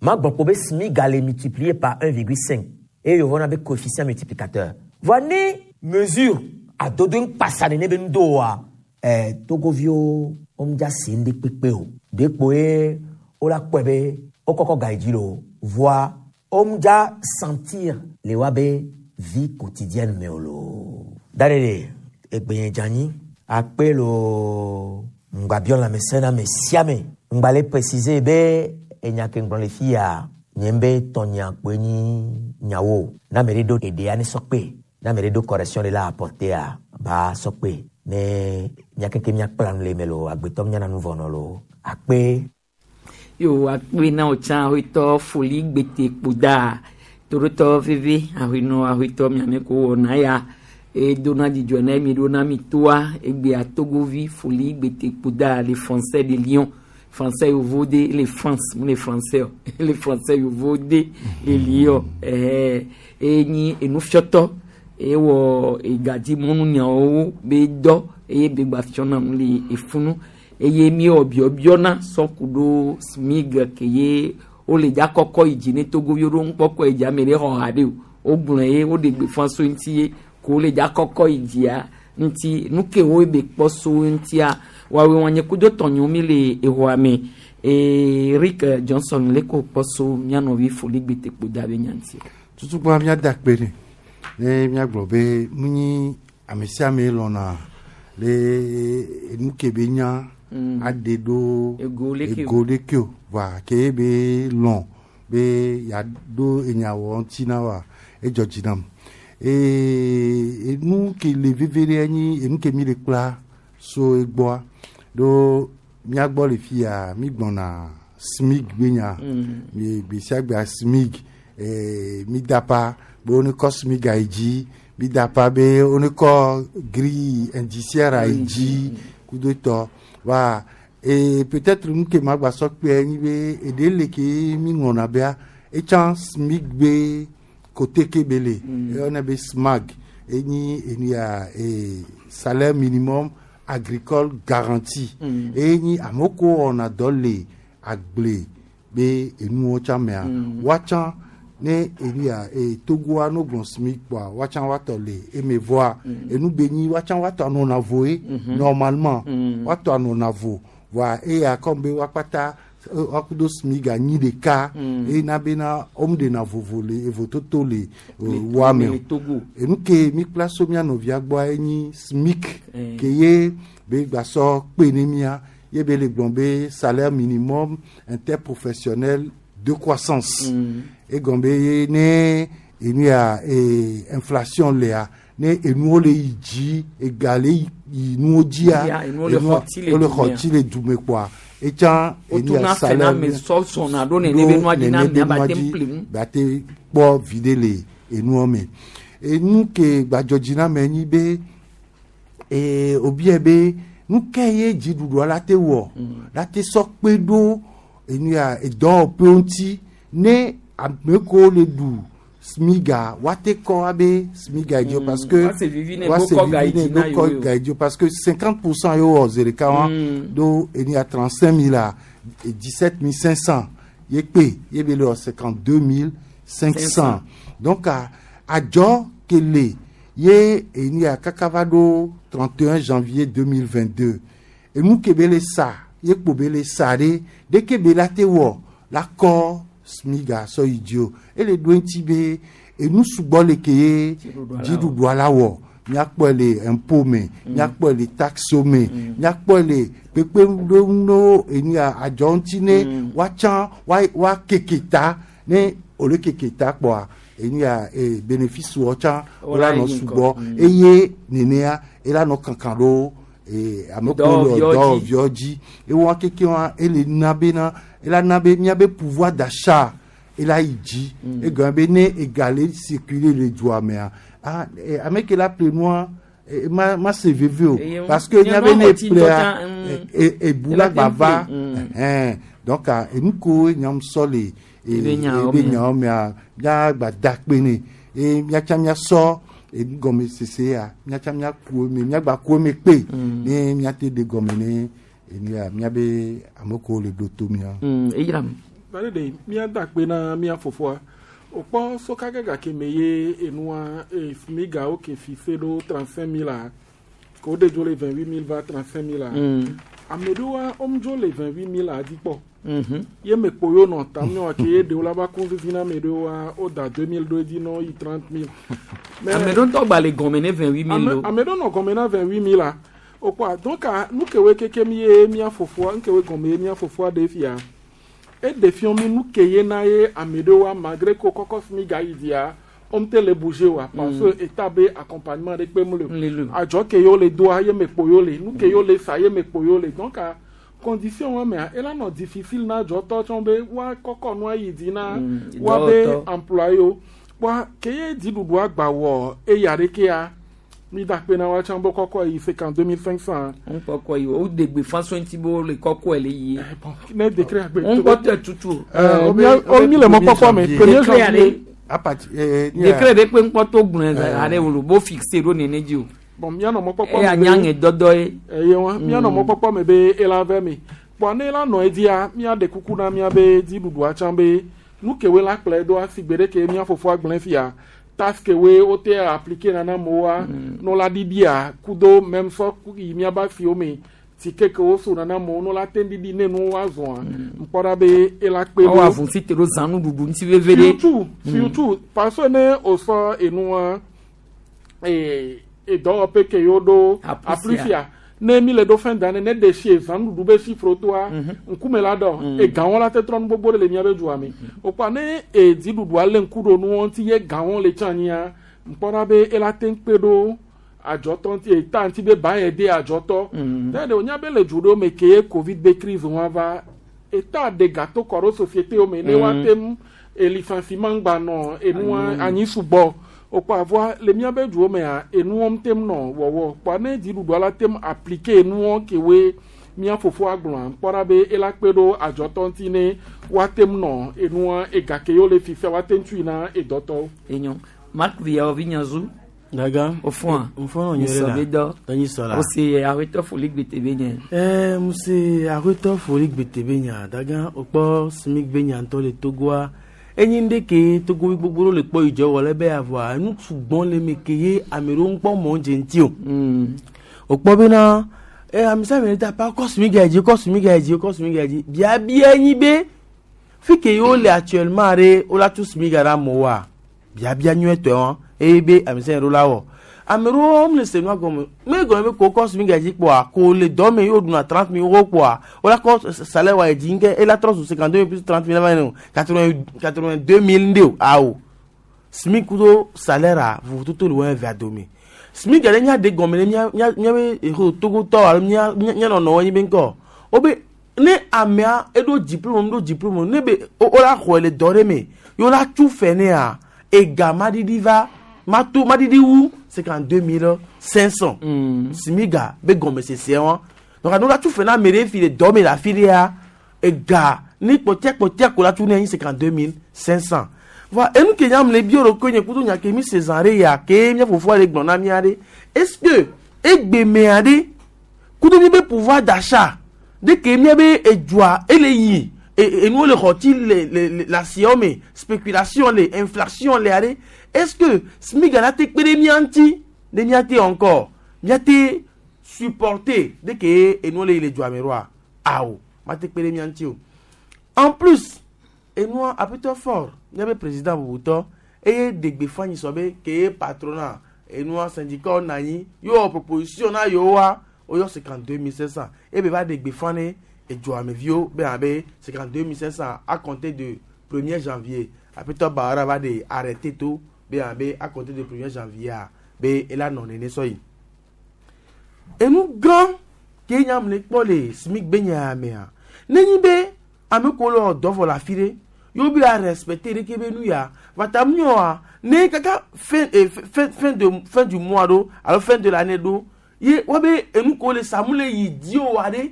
magbɔ kpo be SMIGA le multiplié par un virgule cinq eye yovɔ be coefficient multiplicateur voa ne mesure adodo ŋkpasa nene be ŋdo wa ɛɛ togoviwo womdza se ŋɖe kpekpe o de kpo ye wola kpɔe be wokɔkɔ ga yi dzi lo voa womdza sentir le wa be vie quotidienne me o lo da ɖe ɖe egbenye dze akpe lo ŋgbabiɔ lãmesẽ na ame sia ame ŋgba le préciser be enya ke ŋgblɔ le fi ya nye be tɔnya kpoe nyi nyawo na ame ɖe ɖo eɖea ne sɔ kpe na ame ɖe ɖo correction ɖe la apporter ba sɔ kpe ne miakeke miakpla nu le me lo agbetɔ miana nu vɔ nɔ lo akpe. yo akpe na wo tsã ahoetɔ foli gbete kpoda torotɔ veve ahoenɔ ahoetɔ miame ko wɔna ya edona dzidzɔ na mi ɖo na mi toa egbea togovi foli gbete kpoda le français de Lyon français yovo de le France mu le français o le français yovo de le Lyon ɛɛ enyi enufiɔtɔ ewɔ egadzi mɔnu nyawo be dɔ eye be gba fiɔna nu le efunu eye mi wɔ biɔbiɔna sɔku ɖo SMIG ke ye wole dza kɔkɔ yi dzi ne togoviwo ɖo ŋkpɔkɔ yi dzi ame ɖe xɔ ha ɖe o wogblɔ ye woɖe gbeƒã so ŋuti ye ko wole dza kɔkɔ yi dzia ŋuti nu ke wo be kpɔ so ŋutia woawoe wɔn nye kudo tɔnyewo mi le exɔa me ee Rick Johnson le ko kpɔ so mía nɔvi foli gbete kpo da be nya ŋuti. Tutugbɔn míada kpe ne ne míagblɔ be mu nyi ame sia ame lɔna le nu ke be nya Mm. aɖe ɖo Ego leke o. ego leke o voa ke be lɔn be yeaɖo enyawɔ ŋuti na wa edzɔ dzi nam ee enu ke le veve ɖe nyi enu ke mi le kpla so egbɔa ɖo míagbɔ le fia mi gbɔna SMIG be nya Mm. mi gbe sia gbea SMIG ee mi dapa be wone kɔ SMIG ayi dzi mi dapa be wone kɔ grille indiciaire ayi dzi kudo tɔ wa ee peut-être nu ke ma gba sɔ kpe nyi be eɖe le ke mi ŋlɔna bea etsã SMIG be côté ke be le eyɔna be SMAG enyi enu ya ee salaire minimum agricole garanti Mm. eye nyi amewo ko wɔna dɔ le agble be enuwo tsã mea Mm. woatsã ne enu ya ee togoa no gblɔ SMIG kpoa woatsã woatɔ le eme vɔa enu be nyi woatsã woatɔ anɔna voe Mhm. normalement Mm. woatɔ anɔna vo voa eya comme be woakpata eh, woakudo SMIG anyi ɖeka Mm. eye na bena womu ɖena vovo le evototo le eh, Le- woa me o le Togo. enu ke mi kpla so mía nɔvia gbɔa enyi SMIC Eh. ke ye be gbasɔ kpe ne mía ye be le gblɔ be salaire minimum interprofessionnel de croissance Mm. egɔn be ye ne enu ya ee inflation lea Ne enuwo le yi dzi ega le yi nuwo dzia Ya, enuwo le enua- xɔ tsi le wo le du xɔ mea. tsi le du me kpoa etsã Wotuna fɛ na ame sɔ sɔna ɖo nene be nua dzi na amea ba te ƒle nu. ba te kpɔ viɖe le enua me enu ke gbadzɔdzi na ame nyi be ee obia be nu ke ye dziɖuɖua la te wɔ la te sɔ kpe ɖo enu ya edɔwɔƒewo ŋuti ne ame kewo le ɖu smiga woate kɔ abe smiga yi dzi o Mm, parce que woase vivi ne woase ɖo kɔ ga yi vivi ne dzi na ɖo kɔ yewo. ga yi dzi o parce que cinquante pour cent ye wɔ zi ɖeka wa Mm. ɖo enu ya trente cinq mille a dix sept mille cinq cent ye kpe ye be le wɔ cinquante deux mille cinq cent donc a adzɔ ke le ye enu ya kaka va ɖo trente et un janvier deux mille vingt deux enu ke be le sa ye kpo be le sa ɖe ɖeke be la te wɔ la kɔ smiga sɔ yi dzi o ele ɖo eŋuti be enu sugbɔ le ke ye dziɖuɖua la wɔ míakpɔe le impôt me míakpɔe le taxe me míakpɔe le kpekpeɖeŋu enu ya adzɔ ŋuti ne woatsã woa woakeke ta ne wòle keke ta kpɔa enu ya e bénéfice wɔ tsã wola nɔ yi ŋgɔ. sugbɔ Mm. eye nenea ela nɔ kankan ɖo ee ame kewo le Dɔwɔviwo dzi. dɔwɔviwo dzi ewɔ keke wa ele na bena ela na be míabe pouvoir d'achat ela yi dzi egɔme be ne ega le circuler le dua mea ah eh, ame ke la ƒle nua eh, ma ma se veve o Eye parce que nye míabe nua ne xɔ tsi ƒlea ŋutɔ tsã, mm, e ebu ela la gba te ƒle, va mm. ɛhɛn donc ah, enu ko nyam sɔ le e- Ebe nyawo ebe mea. nyawo mea míagba da kpe ne eye míatsa míasɔ enu gɔme sese ya míatsa míaku eme míagba ku eme kpe ne míate ɖe gɔme ne enu ya míabe ame kewo le ɖo to mía. Mm, eyram Bari de míada akpe na mía fofoa wòkpɔ soka gake me ye enua e smigawo ke fi se ɖo trente cinq mille a ke wo ɖe dzo le vingt huit mille va trente cinq mille a Mm. ame ɖewoa womedzo le vingt huit mille a dzi kpɔ Mhm. ye me kpo yewo nɔ tam ne ke ye ɖewo la va ku vivi na ame ɖewoa woda deux mille ɖo edzi nɔ yi trente mille. Ame ɖewo ŋutɔ gba le gɔme ne vingt huit mille ame o. ame ɖewo nɔ gɔme na vingt huit mille a wokpɔa donc a nu kewoe kekem ye mía fofoa nu kewoe gɔme ye mía fofoa ɖe fia eɖe fiɔ mi nu ke ye na ye ame ɖewoa malgré ko kɔkɔ fi mi gayi dzia womte le bouger oa parce que état be accompagnement ɖe kpe mu le o adzɔ ke yewo le doa ye me kpo yewo le nu ke yewo le sa ye me kpo yewo le donc a condition wa mea ela nɔ difficile na adzɔtɔ tsɔ be woa kɔkɔ nua yi dzi na Mm, woa be dɔwɔtɔ. employé wo kpɔa ke ye dziɖuɖua gba wɔ eya ɖekea mi da kpe na wa tsã be kɔkɔ yi cinquante deux mille cinq cent ŋkɔkɔ yi o wo de gbefa so ŋuti be wole kɔkɔe le yie. ne décret agbe ŋkɔtɔ tutu o. Euh, o mi le mɔkpɔkpɔ me premier Décret janvier aɖe décret ɖe kpe ŋkpɔtɔ gblɔe aɖe wòle bo fixe ɖo nene dzi o. bon mianɔ mɔkpɔkpɔ Eya me be- nyaŋe dɔdɔ ye. eye wa mianɔ Mm. mɔkpɔkpɔ me be ela vɛ me kpɔa ne ela nɔ edzia miaɖe kuku na miabe dziɖuɖua tsã be nu kewoe la kplɔe ɖo asi gbe ɖe ke mía fofoa gblẽ fia taxe kewoe wote appliquer na na amewoa no la ɖiɖia kudo même sɔ ku- yi miabe asiwo me tike kewo so na na amewo no la te ɖiɖi ne nuwo woazɔa ŋkpɔ ɖa be ela kpe Ɔwɔ ɖo avun si te ɖo zãnu ɖuɖu ŋuti veve ɖe. surtout surtout parce que ne wòsɔ enua ee edɔwɔƒe ke yewo ɖo Aplufia. aplufia ne mi le ɖo fin d'année ne ɖe si ezãnuɖuɖu be chiffre toa ŋkume la dɔ egawo la te trɔ nu gbogbo ɖe le miabe dua me wokpɔa ne edziɖuɖua lé ŋku ɖo nuwo ŋuti ye gawo le tsã anyia ŋkpɔ ɖa be ela te ŋu kpe ɖo adzɔtɔ ŋuti eta ŋuti be ba yɛ de adzɔtɔ ne ɖe wonya be le du ɖewo me ke ye covid be crise wa va eta ɖe gato kɔ ɖo société wo me ne Mm. woate ŋu elicenciement gba nɔ enua anyi sugbɔ wokpɔ avɔa le miabe duwo mea enuwo ŋutem nɔ wɔwɔ kpɔa ne dziɖuɖua la tem appliquer enuwo kewoe mía fofoa gblɔa ŋkpɔ ɖa be ela kpe ɖo adzɔtɔ ŋuti ne woatem nɔ enua ega ke yewo le fifia woate ŋu tui na edɔtɔwo. Enyo Marc Viyawo nyazu. Daga. Ofɔa. Nfɔnɔ nyuie Nyisɔ la. be dɔ. Tɔnyi sɔ la. O se awetɔ foli gbete be nye. Eh, muse aƒetɔ foli gbete be nya daga wokpɔ smig be nya ŋutɔ le togoa enyi ŋɖe ke togovi gbogbo ɖewo le kpɔ yi dzɔ wɔ le be avɔa enu sugbɔn le me ke ye ame ɖewo ŋkpɔ mɔ dze ŋuti o wokpɔ bena eh, ame sia ame ɖe ta pa kɔ smig ya dzi kɔ smig ya dzi kɔ smig ya dzi biabia nyi be fi ke yewo le actuellement ɖe wola tu smig ya ɖe amewoa biabia nyuietɔe wɔn eye be ame sia ame ɖo la wɔ ame ɖewo le se nua gɔme me gɔme be ko kɔ smig ya dzi kpɔa ko le dɔ me yewo ɖuna trente mille wo kpɔa wola kɔ salaire wa yi dzi ŋke ela trɔ zu cinquante deux mille plus trente mille eva yi o quatre vingt quatre vingt deux mille ŋɖe o awo smig kudo salaire a vovototo le wɔn evea dome SMIG ɖe nya de gɔme ne mía mía míabe eho togotɔ alo mía mía mía nɔnɔwo nyi be ŋkɔ wobe ne amea eɖo diplôme ɖo diplôme ne be wo wo la xɔe le dɔ ɖe me ye wo la tu fɛ nea ega maɖiɖi va mato maɖiɖi wu cinquante deux mille cinq cent SMIG-a be gɔmesese wa donc ne wo la tu fɛ na ame ɖe fi le dɔ me le afi ɖea ega ne kpɔtia kpɔtia ko la tu ne nyi cinquante deux mille cinq cent voilà enu ke nya le bio ɖo nye kudo nya ke mi se zã ɖe ya ke mía fofoa le gblɔ na mía ɖe est ce que egbemea ɖe kudo mi be pouvoir d'achat de ke mía be edzoa ele yi e- enuwo le xɔti le le le le asiawo me spéculation le inflation le aɖe est ce que SMIG la te kpe ɖe mía ŋuti ne mía te encore mía te supporter de ke enuwo le yi le dzoa me ɖoa awo ma te kpe ɖe mía ŋuti o en plus enua aƒetɔ fort míabe président bubutɔ eye ɖe gbeƒã nyi sɔ be ke ye patronat enua syndicat nɔ anyi yewo wɔ proposition na yewoa woyɔ cinquante deux mille cinq cent ebe va ɖe gbeƒã ne edzoameviwo be abe cinquante deux mille cinq cent à compter de premier janvier aƒetɔ bawara va ɖe arrêté to be abe à compter de premier janvier a be ela nɔ nene sɔ yi enu gã ke nya le kpɔ le SMIG be nya mea nenyi be ame ko le wɔ dɔ vɔ le afi ɖe yewo be a respecter ɖeke be nu ya vata miɔa ne kaka fin eh, fin fin de fin du mois ɖo alo fin de l'année ɖo ye wobe enu ko le samu le yi di o wa ɖe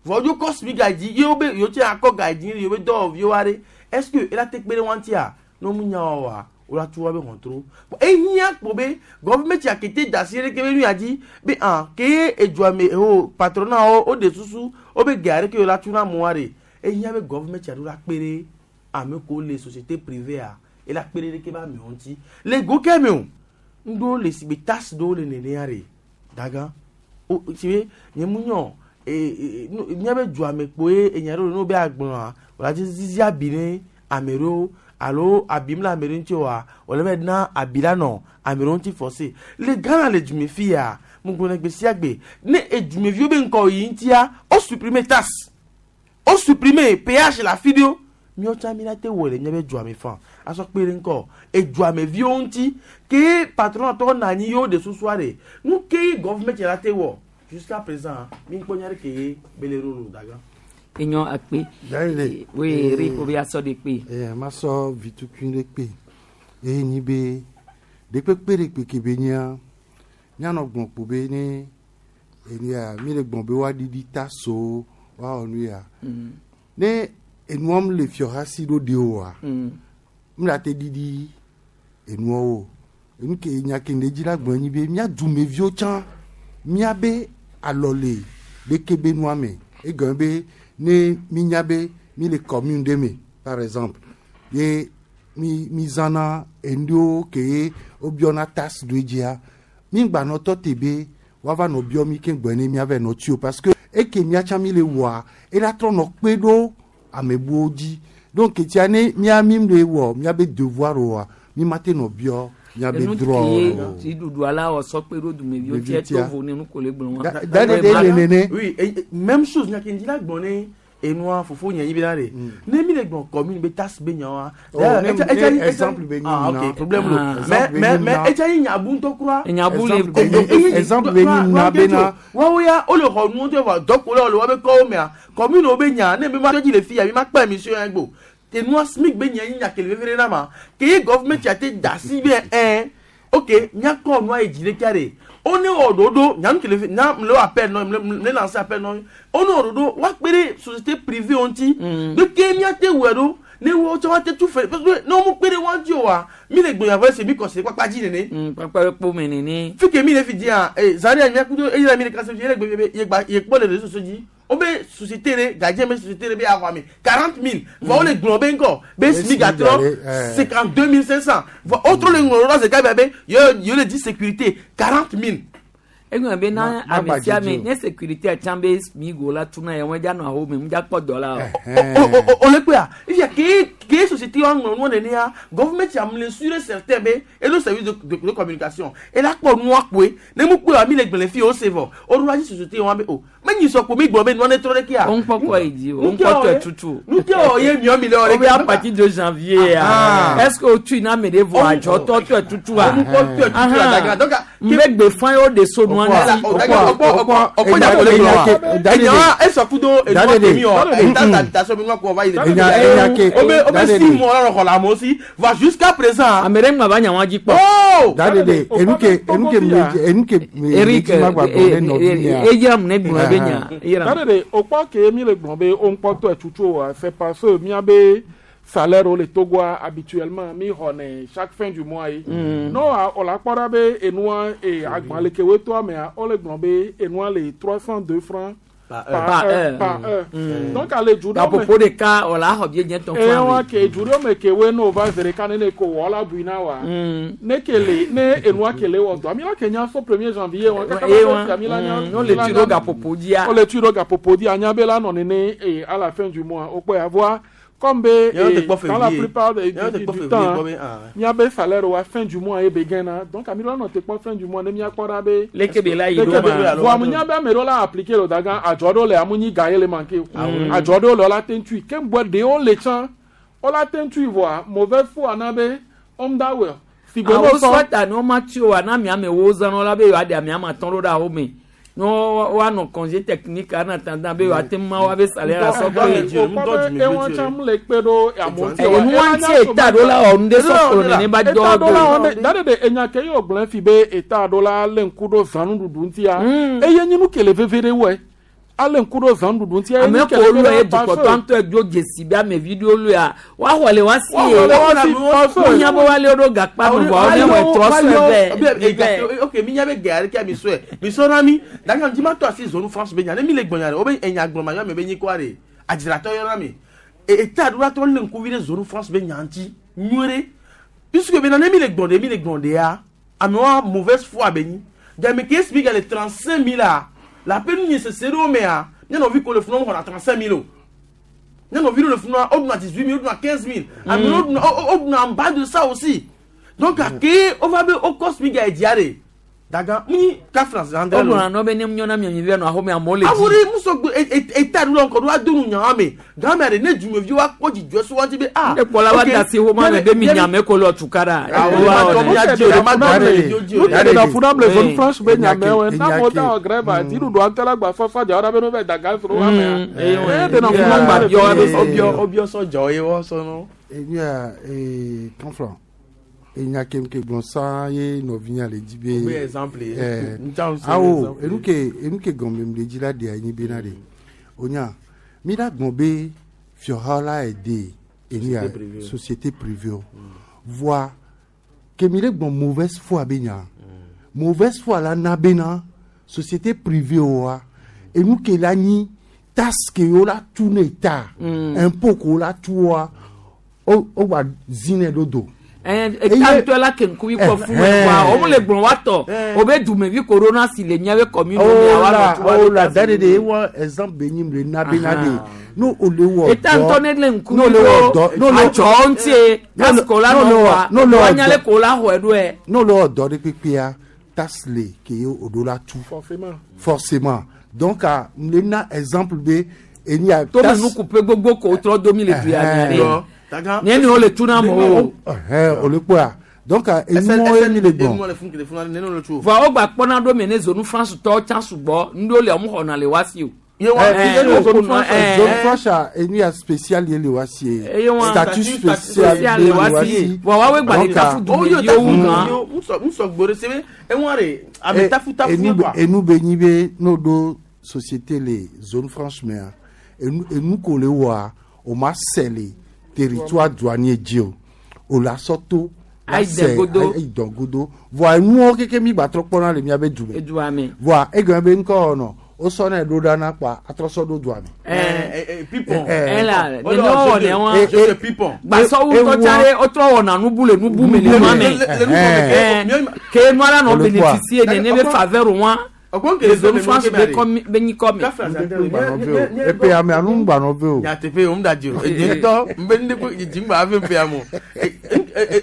vɔ dzo kɔ SMIG ga dzi ye wobe yewo tse akɔ ga dzi yewo be dɔwɔviwo wa ɖe est ce que ela te kpe ɖe wa ŋutia ne wo mu nya wa wo la tu wa be hɔntro ehiã kpo be gɔvimɛti akete da asi ɖeke be nu ya dzi be ah ke ye edzoa me o patronat wo wo de susu wo be gea ɖeke wo la tu na amewoa ɖe ehiã be gɔvimɛti aɖewo la kpe ɖe ame ko le société privée a ela kpe ɖe ɖeke be amewo ŋuti le go ke me o ŋɖewo le si be taxe ɖewo le nenea ɖe daga o si be nye mu nyɔ ee míabe dzoa me kpoe enya ɖewo le ne wo be agblɔa wòla dzi zizi abi ne ame ɖewo alo abi mu le ame ɖe ŋuti oa wòle be na abi la nɔ ame ɖewo ŋuti forcé le Ghana le dume fi ya mu gblɔ ne gbe sia gbe ne edumeviwo be ŋkɔ yi ŋutia wo supprimer taxe wo supprimer péage le afi ɖewo míawo tsã mi la te wɔ le míabe dzoa me fan asɔ kpe ɖe ŋkɔ edzoameviwo ŋuti ke patron tɔ na anyi yewo de susua ɖe nu ke ye gɔvimɛti la te wɔ jusqu'à présent mi kpɔ nya ɖe ke ye bele rolo daga. enyɔ akpe Yayile. oui ri ko be asɔ de kpe. Eh, ma sɔ vitukui ɖe kpe eye nyi be ɖekpekpe ɖe kpe ke be nyia míanɔ gblɔ kpo be ne enia mi le gblɔ be woaɖiɖi ta so woawɔ nu ya ne enuam le fiɔhasi ɖo ɖe oa mi la te ɖiɖi enuawo enu ke nya ke ne dzi la gblɔ nyi be mía dumeviwo tsã míabe alɔ le ɖeke be nua me egɔme be ne mi nya be mi le commune ɖe me par exemple ye mi mi zãna enuɖewo ke ye wobiɔna taxe ɖo dzia mi gbanɔ tɔ te be woava nɔ biɔ mi ke gbɔ ne miava nɔ tsi o parce que eke miatsa mi le wɔa ela trɔ nɔ kpe ɖo ame buwo dzi donc tia ne mía mi le wɔ míabe devoir oa mi ma te nɔ biɔ míabe enu droit ke o. dziɖuɖu ala wɔ sɔ kpe ɖo dumeviwo Ɖeviwo tiɛ tia. to vo ne nu ko le gblɔ wa. Da- da de de le nene. oui et, et, même chose nya ke ŋdi la gblɔ ne enua fofo nye nyi be na ɖe ne mi le gblɔ commune be taxe be nya wa. Oh, ne- ne exemple be nyi ah na. ok problème lo Ah. mais Exemple be mais nyi mais na. etsa yi nyabu ŋutɔ kura. Nyabu le- Exemple be nyi- exemple be nyi na bena. woawo ya wole xɔ nuwo tɛ vɔ dɔko la wole woabe kɔwo mea commune wo be nya ne mi ma tɔ dzi le fi ya mi ma kpe émission ya gbɔ tenua SMIG be nya yi nya kele vevie na ma ke ye gɔvimɛnti ate da si be ɛn ok miakɔ nua yi dzi ɖeka ɖe wo ne wɔ ɖoɖo nyanu kele fi nya le wɔ appel nɔ le le lancer appel nɔ wo ne wɔ ɖoɖo woakpe ɖe société privée wo ŋuti de ke miate wɔe ɖo ne wo tsɔ woate tu fɛ parce que ne wo mu kpe ɖe wo ŋuti o wa mi le gbonya vɔ ese mi kɔsi kpakpa dzi nene. kpakpa kpo me nene. fi ke mi le fi di yan ee zari anyi kudo eyi la mi le kasi fi yɛlɛ gbe be ye gba ye kpɔ le réseaux sociaux dzi wo be société ɖe gadzɛ be société ɖe be axɔ ame quarante mille vɔ wo le gblɔ be ŋkɔ be SMIG atrɔ cinquante deux mille cinq cent vɔ wo trɔ le ŋlɔ ɖo zeka bia be ye ye le di sécurité quarante mille. Egblɔ be na Ma- ma ame sia ame gbadze dzi o. ne sécurité atsã be SMIG la tuna ya wɔn dza nɔ aho me mu dza kpɔ dɔ la o. o le kpea ifia ke ke société wa ŋlɔ nua nenea gɔvimɛnti am le sûr et certain be elo service de, de, de communication ela kpɔ nua kpoe ne mu kpoe wa mi le gblẽ fi o se vɔ o ɖo la dzi société wa be o Me nyi so ko mi gbo be no ne tro de kia. On kpɔ kɔ yi dzi o, on kpɔ tɔ tutu. Nu ke o ye miɔ mi le o de. O bɛ à partir de janvier. Ah. Est-ce que o tu na me de vo adzɔ tɔ tɔ tutu a? On kpɔ tɔ tutu a daga. Donc n bɛ gbe fan yóò de so nua nti. Ɔkɔ nya ko le gblɔ wa. Enya esɔ kudo enua kemi o. Eta habitation mi nua ko va yi le. O bɛ o bɛ six mois lɔrɔ xɔ la amewo si. Va jusqu'à présent. Ame ɖe ŋgba va nya wa dzi kpɔ. Dadede enuke enuke enuke. Eric eyira mu ne gblɔ be nya. Dadede o kpɔ ke mi le gblɔ be o ŋkpɔ tɔ tutu o c'est parce que miabe salaire o le Togoa habituellement mi xɔnɛ chaque fin du mois ye. No o la kpɔ ɖa be enua e agbalẽ ke wo toa mea o le gblɔ be enua le trois cent deux francs. Par heure, par heure. Donc ale du ɖo me. Gaƒoƒo ɖeka o la xɔ bie nye tɔn fún mi. Ewa ke du ɖo me ke we no va zere ka ne ne ko wɔ la bui na wa. Ne ke le ne enua ke le wɔ dɔ mi la ke nya so premier janvier wa. Ewa no le tu ɖo gaƒoƒo dzia. O le tu ɖo gaƒoƒo dzia anya be la nɔ nene e à la fin du mois o kpɔ ya voa. Comme be dans la plupart du, du, du temps miabe salaire wa fin du mois e be gɛn donc ami la nɔ te kpɔ fin du mois ne miakpɔ ɖa be. Leke be la yi ɖo ma. Voa mu nya be ame ɖewo la appliquer le daga adzɔ ɖewo le amu nyi ga ye le manqué o. Adzɔ ɖewo le wola te ŋtui ke ŋgbɔ ɖewo le tsã wola te ŋtui voa mauvaise foi na be ɔm da wɛ. Awo sɔta ni wɔn ma tsi o wa na miame wo zã la be yewoa ɖe ame ama tɔn ɖo ɖe awo me. No wa nɔ congé technique en attendant be wa te ma wa be salaire asɔ kpe. Ewọn tsam le kpe ɖo amewo ti wa. Enu ŋuti eta ɖo la wɔ nu ɖe sɔ kplɔ nene ba dɔ do. Dade de enya ke yɔ gblẽ fi be eta ɖo la lé ŋku ɖo zãnuɖuɖu ŋutia. Eye nye nu ke le veve ɖe wɔe. Ale ŋku ɖo zãnuɖuɖu ŋutia. Ame ko lu ye dukɔtɔ ŋutɔ edzo dzesi be amevi ɖewo lu ya woaxɔ le wa si ye. Wonya be woale ɖo gakpa me vɔ ne wɔ trɔ sɔe bɛ. Ok mi nya be gɛ aɖeke mi sɔe mi sɔ na mi daka ŋuti ma tɔ asi zonu France be nya ne mi le gbɔnya ɖe wo be enya gblɔ ma yɔ ame be nyi kɔa ɖe adzratɔ yɔ na mi eta ɖo la trɔ lé ŋkuvi ɖe zonu France be nya ŋuti nyuie ɖe puisque bena ne mi le gbɔn ɖe mi le gbɔn ɖe ya amewoa mauvaise foi be nyi game ke explique le trente cinq mille a la peine ni se sero mais a nya no vi ko le funu on a trente-cinq mille o nya no vi le funu o duna dix-huit mille o duna quinze mille ami o duna o duna en bas de ça aussi donc a ke o va be o cosmique a diare daga mi ka France andré o duna no be ne nyona mi mi no ahome amole awuri muso eta do nko do adonu nya me grand mère ne du me vi wa ko di jo so wanti be ah ne kola wa da si ho ma be mi nya me ko lo tukara o na funa ble zone franche be nya me we na mo da grève a di do antela gba so fa ja ora be no be daga so wa me e de na funa gba bio obio obio so jo e wo so no e ya e confront enya ke ke gbɔn san ye nɔvinya le dzi be. O bɛ exemple ye. Awo enu ke enu ke gɔme le dzi la de anyi bena de o nya mi la gbɔn be fiɔha la ye de enu ya société privée o voa ke mi le gbɔn mauvaise foi be nya mauvaise foi la na bena société privée o wa enu ke la nyi taxe ke yo la tu ne ta impôt ko la tu wa o o wa zinɛ do do. Eta ŋutɔ la ke ŋkuvi kɔ fún mi wa o le gblɔ wa tɔ o bɛ dumevi corona si le miabe commune mi wa nɔ tu wa. O la da de de ewɔ exemple be nyi le na be na de n'o o le wɔ dɔ eta ŋutɔ ne le ŋkuvi do adzɔ ŋutie kasiko la nɔ wa wa nyale ko la xɔe ɖo yɛ. N'o le wɔ dɔ de kpekpea taxe le ke ye o do la tu. Forcément. Forcément donc a le na exemple be eni a. Tome nukupe gbogbo ko trɔ domi le du ya mia de. Nye ni o le tuna mo o. O le kpɔa donc enumɔ ye mi le gbɔn. Vɔ o gba kpɔna ɖo mi ne zone France tɔ tsa sugbɔ ŋɖo le ɔmu xɔna le wa si o. Zone franche enu ya spécial ye le wa si ye. Statut spécial ye le wa si. Vɔ wa we gba le tafu dume yewo gan. Musɔ gbore sebe eŋua de a bɛ tafu tafu ye quoi. Enu be nyi be n'o do société le zone franche mea enu enu ko le wa o ma sɛ le. Territoire douanier dzi o o la sɔto ayi dɔngodo voa enuwo keke mi gba trɔ kpɔna le miabe du me voa egɔme be ŋkɔ nɔ o sɔ ne ɖo ɖa na kpa atrɔ sɔ ɖo dua me. Ɛɛ pipɔn ɛla nene wɔ ne wa gbasɔwu tɔtsa ɖe wotrɔ wɔna nubu le nubu me le nua me ke nua la nɔ bénéficier nene be faveur wa. Les zones franches be nyi kɔ me. Epe ame anu gbanɔ ve o. Nyateƒe o ŋda dzi o. Edzi ŋutɔ nbe ne ko dzi ŋgba ave ƒe amo.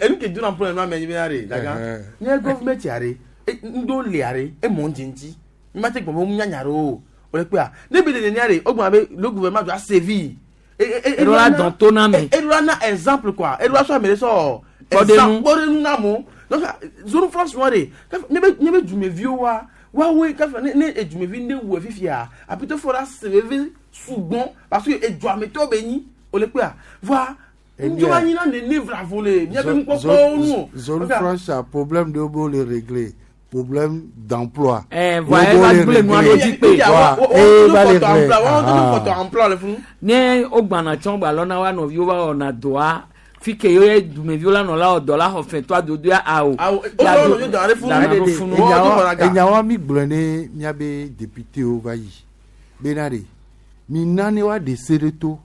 Enu ke dona ƒe nua me nyi bena re daga. Nye gɔvumɛti are ŋdo le are emɔ ŋdzi ŋdzi. Mi ma te gbɔn be ŋu nyanya ɖe o. O le kpea ne bi le nenia de o gbɔn be le gouvernement doit sévir. Eɖo la dɔn to na me. Eɖo la na exemple quoi. Eɖo la sɔ ame ɖe sɔ. Kpɔɖenu. Kpɔɖenu na mo. Donc zone France wa de ne be ne be dumeviwo wa woawoe kafa ne ne edumevi ne wɔ fifia apitɔ fɔ la sèveve sugbɔn parce que eduametɔ be nyi o le kpea voa njɔba nyi na nene vlavo le miabe nukpɔkpɔwo nu o. Zone franche a problème de bo le régler problème d'emploi. Eh, voa eva gblẽ nua ɖo dzi kpe. Ne wo gbana tsɔ gba lɔna wa nɔviwo va wɔna dɔa fi ke ye dumeviwo la nɔ la wɔ dɔ la xɔ fɛtɔ adodoa awo. Enyawa mi gblɔ ne miabe députéwo va yi bena ɖe mi na ne wa ɖe se ɖe to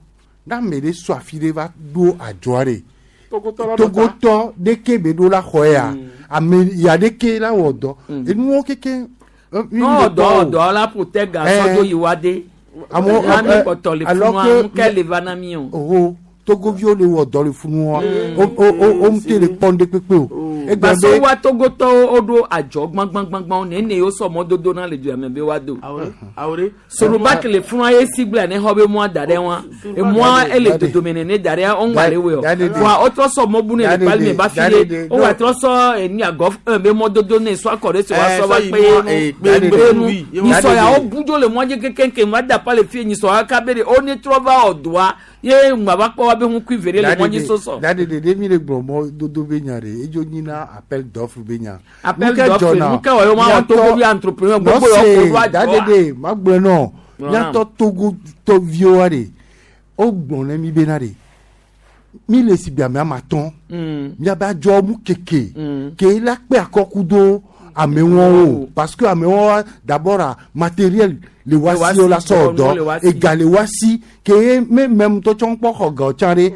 ne ame ɖe sɔ afi ɖe va ɖo adzɔa ɖe togotɔ ɖeke be ɖo la xɔ ya ame ya ɖeke la wɔ dɔ enuwo keke. N'o dɔ dɔ la ƒo ga sɔdzo yi wa de. Amewo ami kpɔtɔ le funua nu ke le va na mi o. Oho togoviwo le wɔ dɔ le funua o o o ŋute le kpɔm ɖe kpekpe o. Parce wa togotɔwo woɖo adzɔ gbãgbãgbãgbãwo nene yewo sɔ mɔdodo na le dua me be woado. Sorobaki le funua ye si gblẽ ne xɔ be mɔa da ɖe wa emɔa ele dodome nene da ɖe wo ŋgba le woe o. Voa wotrɔ sɔ mɔ bu ne le kpali me ba fi ye wo wa trɔ sɔ enu agɔ be mɔdodo ne sɔ akɔ ɖe si wa sɔ va kpe ye nu kpe nu nyisɔ ya wo bu dzo le mɔdzi kekeake va da pa le fi nyisɔ ya kabe de wo ne trɔ va wɔ doa ye ŋgba va kpɔ wa be ŋukui ve ɖe le mɔdzi sosɔ. Dade de mi le gblɔ mɔdodo be nya ɖe edzo nyina appel d'offre be nya. Appel d'offre nu ke wɔ ye ma wɔ Togo bi entrepreneur gbogbo yɔ ko do adzɔ. Dade de ma gblɔ nɔ miatɔ Togo tɔviwo ɖe wo gblɔ ne mi bena ɖe mi le si bi ame ama tɔn miabe adzɔ mu keke ke la kpe akɔku do amewo parce que amewo d'abord matériel le wasi o la sɔ dɔ ega le wasi ke me mɛm tɔ tsɔn kpɔ xɔ ga tsã ɖe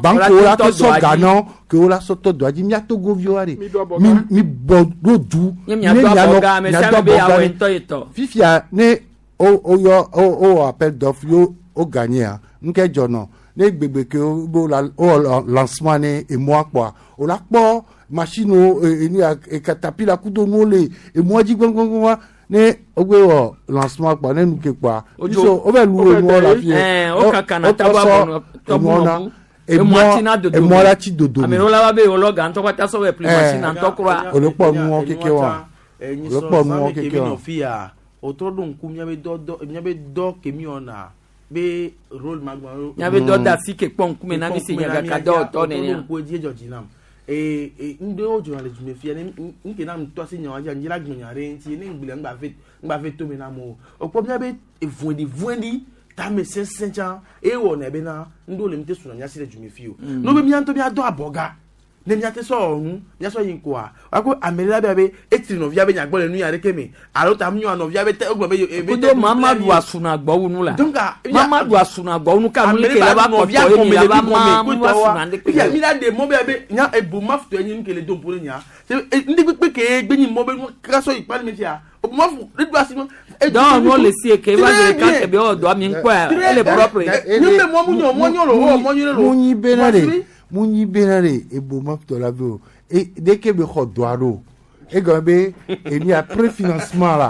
banko la te sɔ ga nɔ ke wo la sɔ tɔ dɔa dzi mia togoviwo ɖe mi mi bɔ ɖo du ne mianɔ miado abɔga ɖe fifia ne o o yɔ o o appel d'offre yo o gagné nke dzɔ nɔ ne gbegbe ke o bo la o lancement ne emɔa kpɔa o la kpɔ machine wo enu ya katapila kudo nuwo le emɔa dzi gbɔngbɔngbɔn ne o gbe wɔ lancement kpɔ ne nu ke kpɔa biso o bɛ lu enuɔ la fie o kaka na tabu abɔnɔ tɔbu nɔbu emɔa ti na dodo emɔa la ti dodo ame ɖewo la va be wòlɔ ga ŋutɔ kpata sɔ bɛ pli machine ŋutɔ kura o le kpɔ nuwɔ keke wa o le kpɔ nuwɔ keke wa o trɔ ɖo ŋku miabe dɔ dɔ miabe dɔ ke mi wɔna be rôle ma gbɔ. Miabe dɔ da si ke kpɔ ŋkume na mi si nyagaka dɔwɔtɔ nenea. O trɔ ɖo ŋku edzi edzɔ dzi nam ee ee ŋɖewo dzɔna le dume fia ne ŋke na ŋutɔ asi nyawa dzi la gbɔnya ɖe ŋuti ne ŋgble ŋgba ve ŋgba ve tome na mo o kpɔ miabe evoɖi voɖi tame sesẽ tsã eye wɔna bena ŋɖewo le ŋute suna miasi le dume fi o n'o be mia ŋutɔ mia dɔ abɔga ne miate sɔ ɔnu miasɔ yi ŋkɔa wako ame ɖe la be abe etri nɔvia be nyagbɔ le nu ya ɖeke me alo ta nyɔa nɔvia be tɛ egblɔ be ebe kudo mamadu asuna gbɔwunu la mamadu asuna gbɔwunu ka nu ke la ba kɔtɔ ye mi la ba ma mu asuna de kpe. Mi la de mɔ be abe nya ebo mafu tɔ enyi nu ke le do ƒo ne nya ndí kpekpe ke gbe nyi mɔ be nu kasɔ yi kpali mi fia o mafu ne do asi ma. Donc nous le si ke va de kan ke be o do mi nkɔ ele propre. Ni be mɔ mu nyɔ mɔ nyɔ lo o mɔ nyɔ lo. Mu nyi bena de mu nyi bena de ebo mafu la be o e dès que be xɔ dɔa ɖo egɔme be enu ya préfinancement la.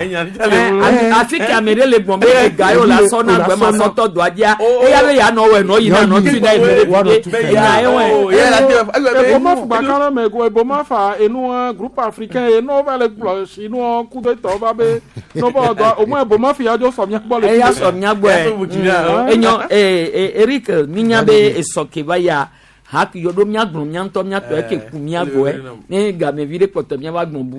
Afi ke ame ɖe le gbɔn be ega yio la sɔ na gbɛma sɔtɔ dɔa dzia eya be yanɔ wɔ enɔ yina nɔ tui na eve ɖe fi enya ye wɔ. Eboma gbaka ɖe me go eboma fa enua groupe africain ye n'o va le gblɔ si nua ku de tɔ va be n'o va dɔ au moins eboma fi ya dzo sɔ mía gbɔ le. Eya sɔ mía gbɔe enyɔ ee Eric minya be esɔ ke va ya haki yɔ ɖo mía gblɔ mía ŋutɔ mía tɔ eke ku mía gbɔe ne gamevi ɖe kpɔtɔ mía va gbɔn bu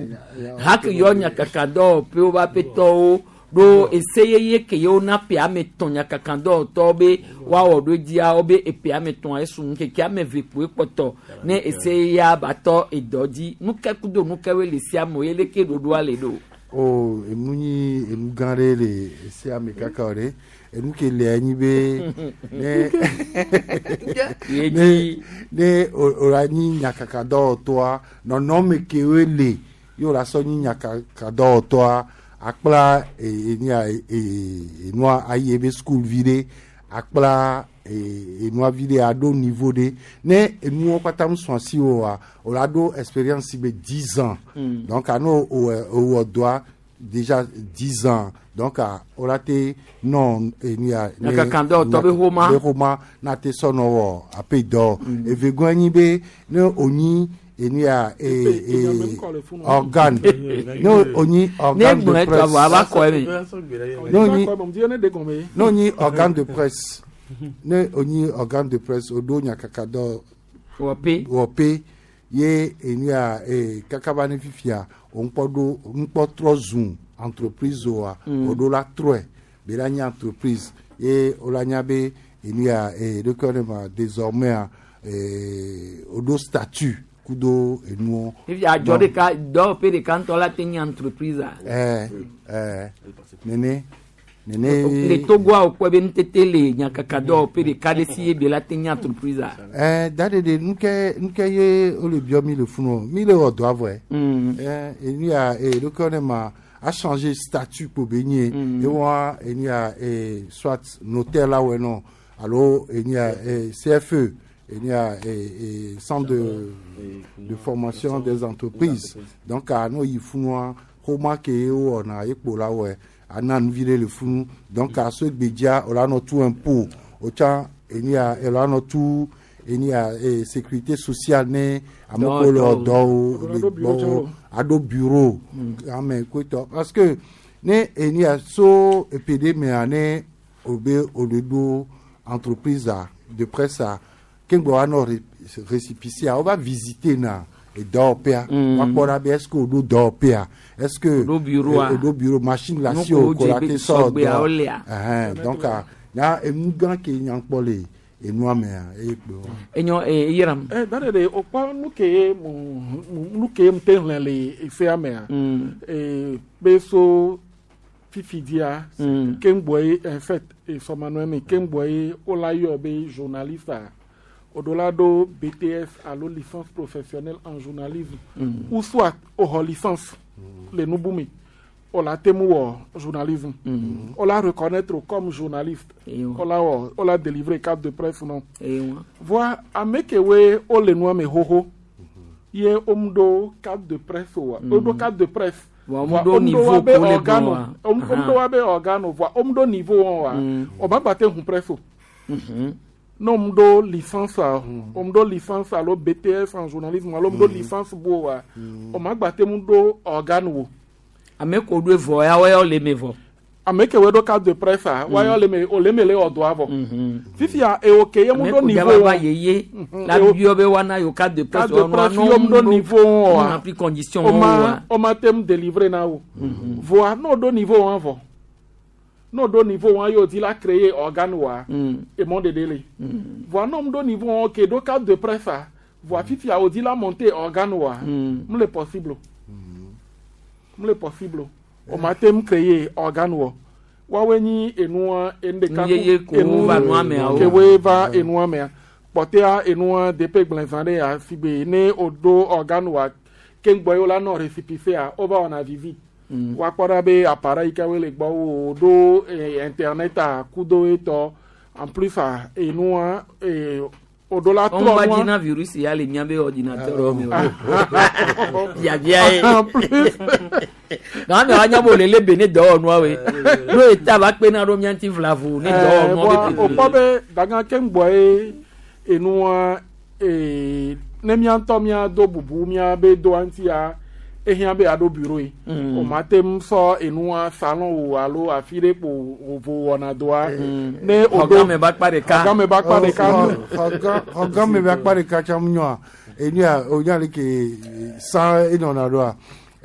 haki yɔ nyakaka dɔwɔƒewo va ƒetɔwo ɖo ese yeye ke yewo na ƒe ame tɔn nyakaka dɔwɔtɔwo be woawɔ ɖo dzia wo be eƒe ame tɔn esu ŋkeke ame eve kpoe kpɔtɔ ne ese yeyea ba tɔ edɔ dzi nuke kudo nukewoe le sia me ye leke ɖoɖoa le ɖo. O enu nyi enu gã ɖe le esea me kaka o ɖe. Enu ke le anyi be ne ne ne o la nyi nyakaka dɔwɔtɔa nɔnɔme kewoe le ye o la sɔ nyi nyakaka dɔwɔtɔa akpla enia enua ayi ebe school vi ɖe akpla enua vi ɖe aɖo niveau ɖe ne enuwo kpata mu sɔn asi o wa o la ɖo expérience be dix ans donc ano o wɔ dɔa déjà dix ans donc a wola te nɔ enu ya. Nyakakadɔwɔtɔ be xoma. Be xoma na te sɔ nɔ wɔ ape dɔ evegɔn nyi be ne onyi enu ya e e organe ne onyi organe de Ne gblɔe presse tɔ vɔ ava kɔ eme. ne onyi Ne ne onyi organe de presse ne onyi organe de presse oɖo nyakakadɔ wɔpe wɔpe ye enu ya e kakaba ne fifia òŋkpɔ ɖo ŋkpɔ trɔ zu entreprise oa Mm. oɖo la trɔe be la nye entreprise ye wola nya be enu ya e ɖeke ne ma désormais a e oɖo statut kudo enuwo. Fifi adzɔ ɖeka dɔwɔƒe ɖeka ŋutɔ la te nye entreprise a. ɛɛ ɛɛ nene nene. Le Togoa wokpɔe be nutete le nyakakadɔwɔƒe ɖeka ɖe si ye be la te nye entreprise a. ɛɛ da de de nuke nuke ye wole biɔ mi le funu mi le wɔ dɔa vɔe. Mm. ɛɛ enu ya e ɖeke ne ma a changer statut kpo be nye Mm. ewa enu ya e soit notaire la wɔ nɔ alo enu ya e C F E enu ya e e centre de de formation des entreprises donc a n'o yi funua xɔma ke ye wɔna ekpo la wɔe ana nuvi ɖe le funu donc a so gbedzia o la nɔ tu impôt o tsã enu ya e la nɔ tu enu ya e sécurité sociale ne ame kewo le Dɔwɔtɔwo. dɔwo le Aɖo bureau tsã gbɔwo o. aɖo bureau ame koetɔ parce que ne enu ya so epe ɖe mea ne o be o le ɖo entreprise a de presse a keŋgbɔ wa nɔ ré- récépissé a wova visiter na edɔwɔƒea Mm. woakpɔ ɖa be est ce que o ɖo dɔwɔƒea est ce que O ɖo bureau a. o ɖo bureau machine le asi Nu o ko ko la dze te be sɔ sɔgbea dɔ wolea. ɛhɛn donc a nya enu gã ke nya kpɔ le enua mea eye kpe wa. Enyo e yiram. Eh, da de de o kpɔ nu ke ye mu mu- nu ke ye mu te hlẽ le efea mea. Mm. Eh, be so fifi dia Mm. ke ŋgbɔ ye en fait esɔmanɔe me ke ŋgbɔ ye wola yɔ be journaliste a o ɖo la ɖo B T S alo licence professionnelle en journalisme Mm. ou soit o xɔ licence le nubu me o la te mu wɔ journalisme Mm. o la reconnaître comme journaliste Ewa. o la wɔ o la délivrer carte de presse nɔ Ewa. voa ame kewoe wole nua me xoxo ye womu ɖo carte de presse oa Mm. woɖo carte de presse Voa womu voa ɖo womu ɖo niveau woabe ko le organe gblɔ o womu Aha. ɖo woabe organe o voa womu ɖo niveau wɔn oa Mm. o ma gba te hu presse o Mhm. ne womu ɖo licence a womu ɖo licence alo B T S en journalisme alo womu ɖo licence bu oa o ma gba te mu ɖo organe o Ame ko ɖo vɔ ya wɔyɔ le me vɔ. Ame kewoe ɖo carte de presse a woayɔ le me o le me le wɔ dɔa vɔ Mhm. fifia ewo ke ye mu Ame ɖo ko niveau dzaba va wɔn yeye Mhm. la Ewo- biɔ be woana yewo carte de presse carte de presse ye womu ɖo niveau wɔn oa rempli condition o wɔn ma oa. o ma te mu délivrer na wo voa n'o ɖo niveau wɔn vɔ n'o ɖo niveau wɔn ye o di la créer organe wa Mm. emɔ ɖeɖe le voa n'o mu ɖo niveau wɔn ke ɖo carte de presse a voa fifia o di la monter organe wa Mm. mu le possible o mu le possible o o ma te mu créer organe wɔ woawoe nyi enua enu ɖeka Nu yeye ko va nua mea o. kewoe va enua mea kpɔtea enua depe gblẽzã ɖe ya si be ne o ɖo organe wa keŋgbɔ ye wola nɔ récépissé a wova wɔna visite Mm. woakpɔ ɖa be appareil yi ke woe le gbɔ wo ɖo eh, internet a kudo etɔ en plus a enua eh, o ɖo la Wɔn trɔ va nua dzi na virus ya le miabe ordinateur wo me o. Biabia ye. En plus Na ame wa nya be wòle le be ne dɔwɔnua woe. No eta va kpena ɖo mía ŋuti vlavo ne dɔwɔnua voa be o kpɔ be dagã keŋgbɔ ye enua eh, ne mía ŋutɔ mía do bubu mía be doa ŋutia ehiã be aɖo bureau ye Mm. o ma te ŋu sɔ enua salon o alo afi ɖe kpo o vo wɔna dɔa ne o ɖo Xɔgãme be akpa ɖeka. xɔgãme be akpa ɖeka xɔgãme be akpa ɖeka tsã mu nyɔa enu ya o nya le ke san enɔna ɖoa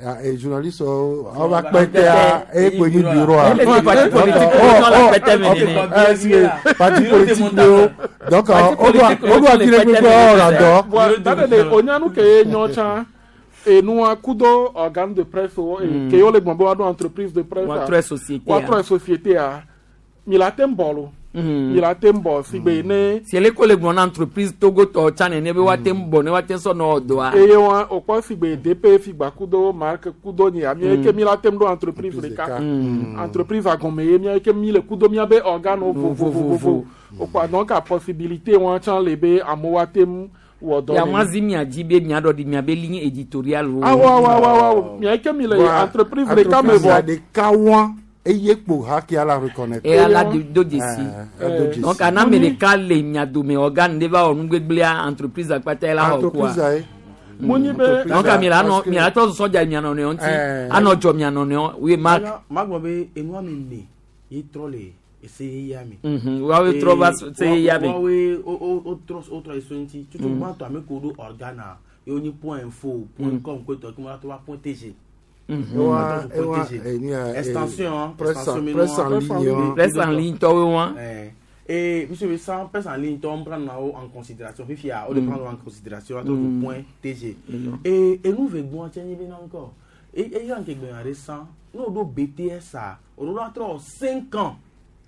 a journaliste wo awo va kpe tea eye kpe nyi bureau a Ele ti parti politique wo nɔ le kpɛtɛ me nene. Parti politique wo donc Parti o do politique o do afi ɖe kpekpe wɔna dɔ. Voa da ɖe ɖe o nya nu ke ye nyɔ tsã enua kudo organe de presse wo Mm. ke yewo le gbɔn be woaɖo entreprise de presse a Woatrɔe société a. woatrɔe société a mi la te ŋu bɔ lo Mm. mi la te ŋu bɔ si gbe ne Si ele ko le gblɔ na entreprise Togo tɔ tsã nene be woate ŋu bɔ ne woate ŋu sɔ nɔ dɔa. Eye wa o kpɔ si gbe D P figba kudo marque kudo nyia mi Mm. ke mi la te ŋu ɖo entreprise ɖeka Mm. entreprise agɔme ye mia ke mi le kudo miabe organe vovovovovo o kpɔ donc a possibilité wa tsã le be amewo ate ŋu wɔ dɔ Ya nene. ma zi mia dzi be miaɖɔ ɖi miabe ligne éditoriale o. Awo awo awo awo mia ke mi le entreprise ɖeka me Entreprise vɔ. ɖeka wa eye kpo ha kia la reconnaître. E ala do do dzesi. Eh, do dzesi. Donc ana ame ɖeka le mia dome organe ɖe va wɔ nugbegblẽa entreprise akpata ye la xɔ Entreprise kua. ye. Mo nyi be. Donc mi la nɔ mi la tɔ sɔdza mia nɔnɔewo ŋuti Eh. anɔ dzɔ mia nɔnɔewo oui Marc. Magblɔ be enua mi ne ye trɔ le ese yeya me. Mhm, woawoe trɔ va se yeya me. Woawoe wo wo wo trɔ wo trɔ eso ŋuti. Tutu Mm. gbãtɔ ame ko ɖo organe ye wonyi point info point Mm. com koetɔ ke mo la trɔ va point tg. Mhm. Ewa Point ewa T G. enu ya. Extension presse extension en presse en ligne. wa. Presse en ligne tɔwoe wa. Eh, Et monsieur le sans presse en ligne, on prend en considération. Fifia, on le Mm. prend en considération. On Mm. point T G. Mm. Et et nous veillons tiens bien encore. Et et y a un qui est récent. Nous avons B T S A. On a trois cinq ans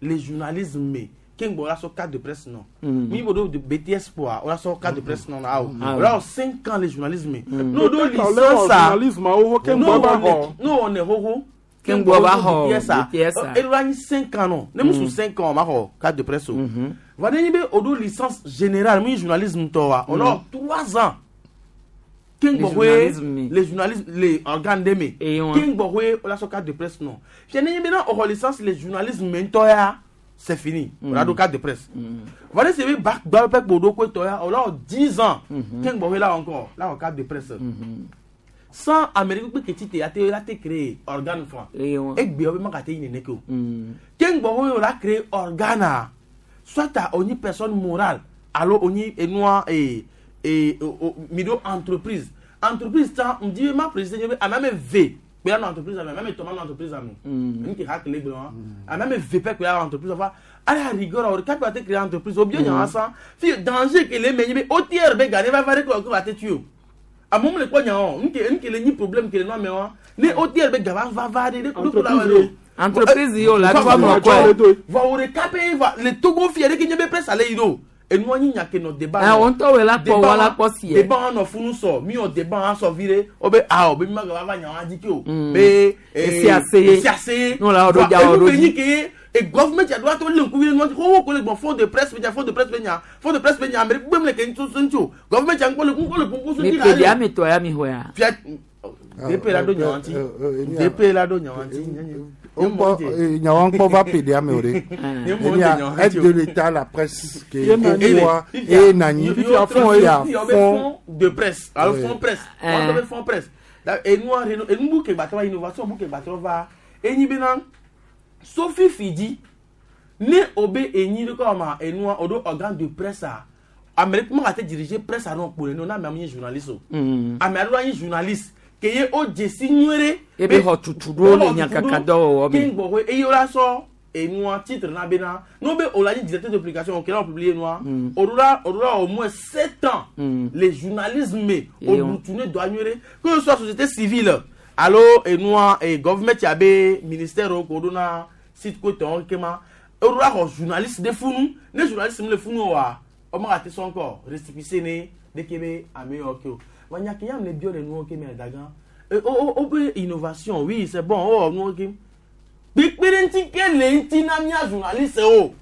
les journalistes mais qui ont sur carte de presse non. Mm. Mi bodo de B T S pour on a sur carte de presse non ah. Ah, On a cinq ans les journalistes mais Mm. nous avons Peut-être licence leur ça. journalisme awo ke Nous ŋgbɔ va on xɔ. est nous on est hoho. Ke ŋgbɔ va xɔ B T S A. B T S A. Et nous avons cinq ans non. Ne musu cinq ans ma xɔ carte de presse o. Va ne be odo licence générale mi journalisme tɔ wa. On a trois ans. Le Ke ŋgbɔ journalisme mi. les journalistes les organes de me. Et on- Ke ŋgbɔ hoe on a sur carte de presse non. Fia ne be na o licence les journalistes me ŋutɔ ya c'est fini. On a do carte de presse. Va ne se be bac gba pe kpo do ko tɔ ya on a dix ans. Ke ŋgbɔ hoe là encore là en carte de presse. Sans Amérique pe keti te ate la te créer organe franc. Et on- Egbe o be ma ka te yin ne ke o. Mm. Ke ŋgbɔ hoe on a créé organe a soit a oni personne morale alo oni enua e e o- o- mi do entreprise entreprise tan n di ma président ye a ma v kpe na entreprise ame a ma tɔma na entreprise ame n ke ha kele gblɔ wa a ma v pɛ kpe na entreprise fa à la rigueur o kapi ate créer entreprise o bi nya san fi danger ke le me nyi be O T R be gane va va re ko ko ate tu o amewo le kpɔ nya o nke nke le nyi problème ke le nɔ ame wa ne O T R be gava va va de ne ko la wa do. Entreprise yi o la trɔ mɔ kɔe. Vɔ wo ɖeka pe va le Togo fia ɖeke nye be presse ale yi ɖo enua nyi nya ke nɔ débat. Ah, wo ŋutɔ woe la kpɔ, wa la kpɔ si yɛ. Débat wa nɔ funu sɔ mi wɔ débat wa sɔ vi ɖe wo be awɔ be mi ma gava va nya wa dzi ke o. Mm. Be Esi ase ye. Esi ase ye. N'o la ɖo dza wɔ Enu ɖo ke dzi. nyi ke ye e government ya do ato le ŋkuvi ɖe nua dzi xoxo ko le gbɔn fond de presse be nya fond de presse be nya fond de presse be nya ame ɖe gbem le ke ŋutsu ŋutsu o government ya ŋkɔ le ŋkɔ le ŋkɔ so Mi dzi pe ɖe ame tɔ ya mi xɔa. Fia D P la ɖo nya wa ŋuti D P la ɖo nya wa ŋuti. Nyawa ŋkpɔ va pe ɖe ame o ɖe. Enia aide de l'État la presse ke ewa e nanyi fifia fond ya fond de presse alo Ouais. fond presse wɔn bɛ fond presse Da- enua reno enubu ke gbatɔ va innovation bu ke gbatɔ va enyi bena sofi fidi ne o be enyi de kɔ ma enua o do organe de presse a ame ɖe ma ka te diriger presse a nɔ kpo le ne o na ame ame nye journaliste o Mm. ame aɖewo anyi journaliste ke ye o dzesi nyuie ɖe Ebe xɔ tutu ɖo le nyakakadɔwɔwɔ me. ke ŋgbɔ eye wola sɔ enua titre na bena n'o be o la nyi directeur de publication o kɛlɛ o publier nua Mm. o ɖo la o ɖo la au moins sept ans Mm. le journalisme o Ye wa. butune do anyuie ɖe que ce soit société civile alo enua e government abe ministère o ko ɖo na site ko tɔn kema o ɖo la xɔ journaliste de funu ne journaliste mi le funu o wa o ma ka te sɔn kɔ récépissé ne de ke be ame yɔ ke o wa nya ke ya me le biɔ le nuwo ke me dagan e o o o be innovation oui c'est bon o wɔ nuwo ke kpekpe ŋuti ke le ŋuti na mía journaliste o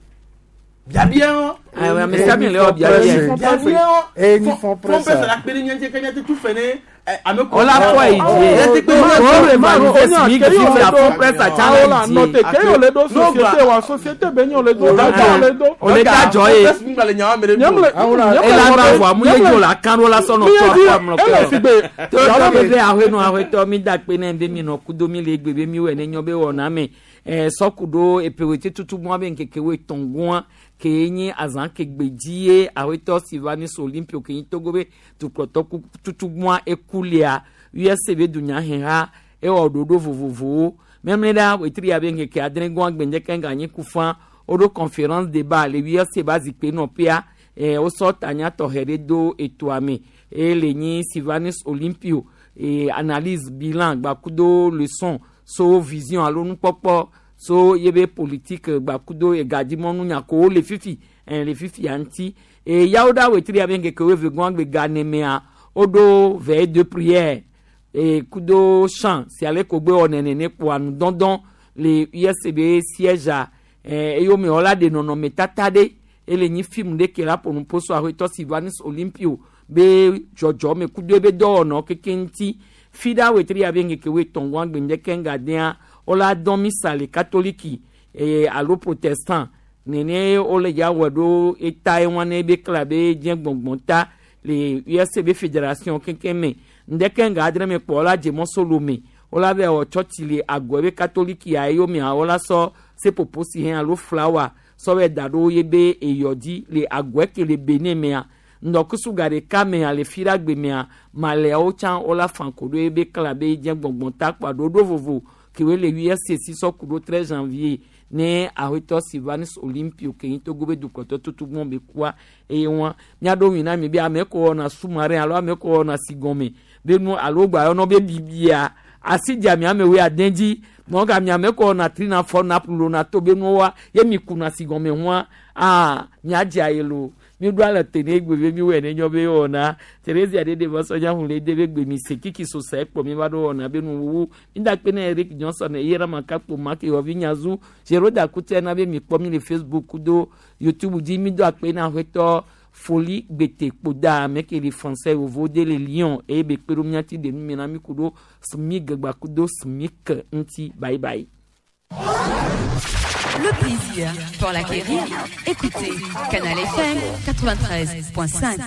biabia wɔn. Ayiwa, ame sia ame le wɔ biabia. Biabia wɔn. E ni fond Fond presse. presse la kpe ɖe mía ŋuti ke mía te tu fɛ ne ɛ, ame ko. O la kɔ yi die. O le valide SMIC fifia fond presse a Awo la tsã nɔ le te die. ke ye le do société wa société be nye le do da le do. O le da dzɔ ye. Ela va vɔ amu ye dzo la kan ɖo la sɔnɔ tɔ akɔ amlɔ Ele si be kpe. Tɔ be be ahoe nɔ ahoetɔ mi da kpe ne be mi nɔ kudo mi le egbe be mi wɔ ne nyɔ be wɔna me. Ɛ sɔku ɖo epewete tutu mɔ be ŋkeke wo etɔ̃ gɔa ke nye azã ke gbe dzi ye ahoetɔ si va ni so Olympio ke nyi Togo be dukplɔtɔ ku tutu mɔa ekulia U S A be dunyaheha ewɔ ɖoɖo vovovowo memle ɖa wetri ya be ŋkeke adre gɔa gbɛndeke ŋga nyi kufa woɖo conférence débat le U S A ba zikpui nɔƒea ɛ wosɔ tanya tɔxɛ ɖe do etoa me eye le nyi Sylvanus Olympio e analyse bilan gbakudo leçon so vision alo nukpɔkpɔ so yebe politique gbakudo egadimɔnu nyakowo le fifi ɛ le fifi ya ŋuti e yawo ɖa wetri ya be ŋkeke wo eve gɔa gbe ga nemea woɖo veille de prière e kudo chant si ale ko gbe wɔ nɛnɛnɛ kpoa nudɔdɔn le U S A be siège a ɛ eyome wɔla ɖe nɔnɔmetata ɖe Ele nyi film ɖe ke la ƒo nu ƒo so aƒetɔ Sylvanus Olympio be dzɔdzɔme kudo ebe dɔwɔnɔ keke ŋuti fi ɖa wetri ya be ŋkeke woetɔ̃ gɔ̃ gbe ŋdeke ŋgadea wola dɔn misa le katoliki eye alo protestant nene wole dza wɔ ɖo eta ye wɔn ne be kla be dze gbɔngbɔn ta le U S A be fédération kekem me ŋdeke ŋga adre me kpɔ wola dze mɔsolo me wola vɛ wɔ tsɔtsi le agɔ be katoliki ya eyomea wola sɔ seƒoƒo si hɛn alo flawa sɔ vɛ da ɖo ye be eyɔ dzi le agɔe ke le Benin mea ŋdɔkusu ga ɖeka mea le fi ɖa gbe mea maleawo tsã wola fa ko ɖo ye be kla be dze gbɔngbɔn ta kpa ɖoɖo vovo kewoe le U S A si sɔ ku ɖo treize janvier ne aƒetɔ Sylvanus Olympio ke nyi Togo be dukɔtɔ tutu gbɔn be kua eye wɔn miaɖo ŋui na mi be ame ko wɔna sous-marin alo ame ko wɔna sigɔme be nu alo gba yɔnɔ be bibia asi dza mi amewoe ade dzi nɔga mi ame ko wɔna trina fɔ na lona to be nuwoa ye mi kuna sigɔme hua aa miadze aye lo mi ɖo ale te ne egbe be mi wɔe ne nyɔ be wɔna Theresia ɖe ɖe sɔdza hu le de be gbe mi se kiki sosa ekpɔ mi va ɖo wɔna be nuwuwu mi da kpe ne Eric Johnson eye ɖe ma kakpo ma ke wɔvi nyazu Zeroda kutɛ na be mi kpɔ mi le Facebook kudo YouTube dzi mi do akpe na aƒetɔ Foli Gbete Kpoda ame ke le français vovo de le Lyon eye be kpe ɖo miati de nu mi na mi ku ɖo SMIG gba kudo SMIC ŋuti. Bye bye. Le plaisir pour l'acquérir. Écoutez Canal F M quatre-vingt-treize point cinq.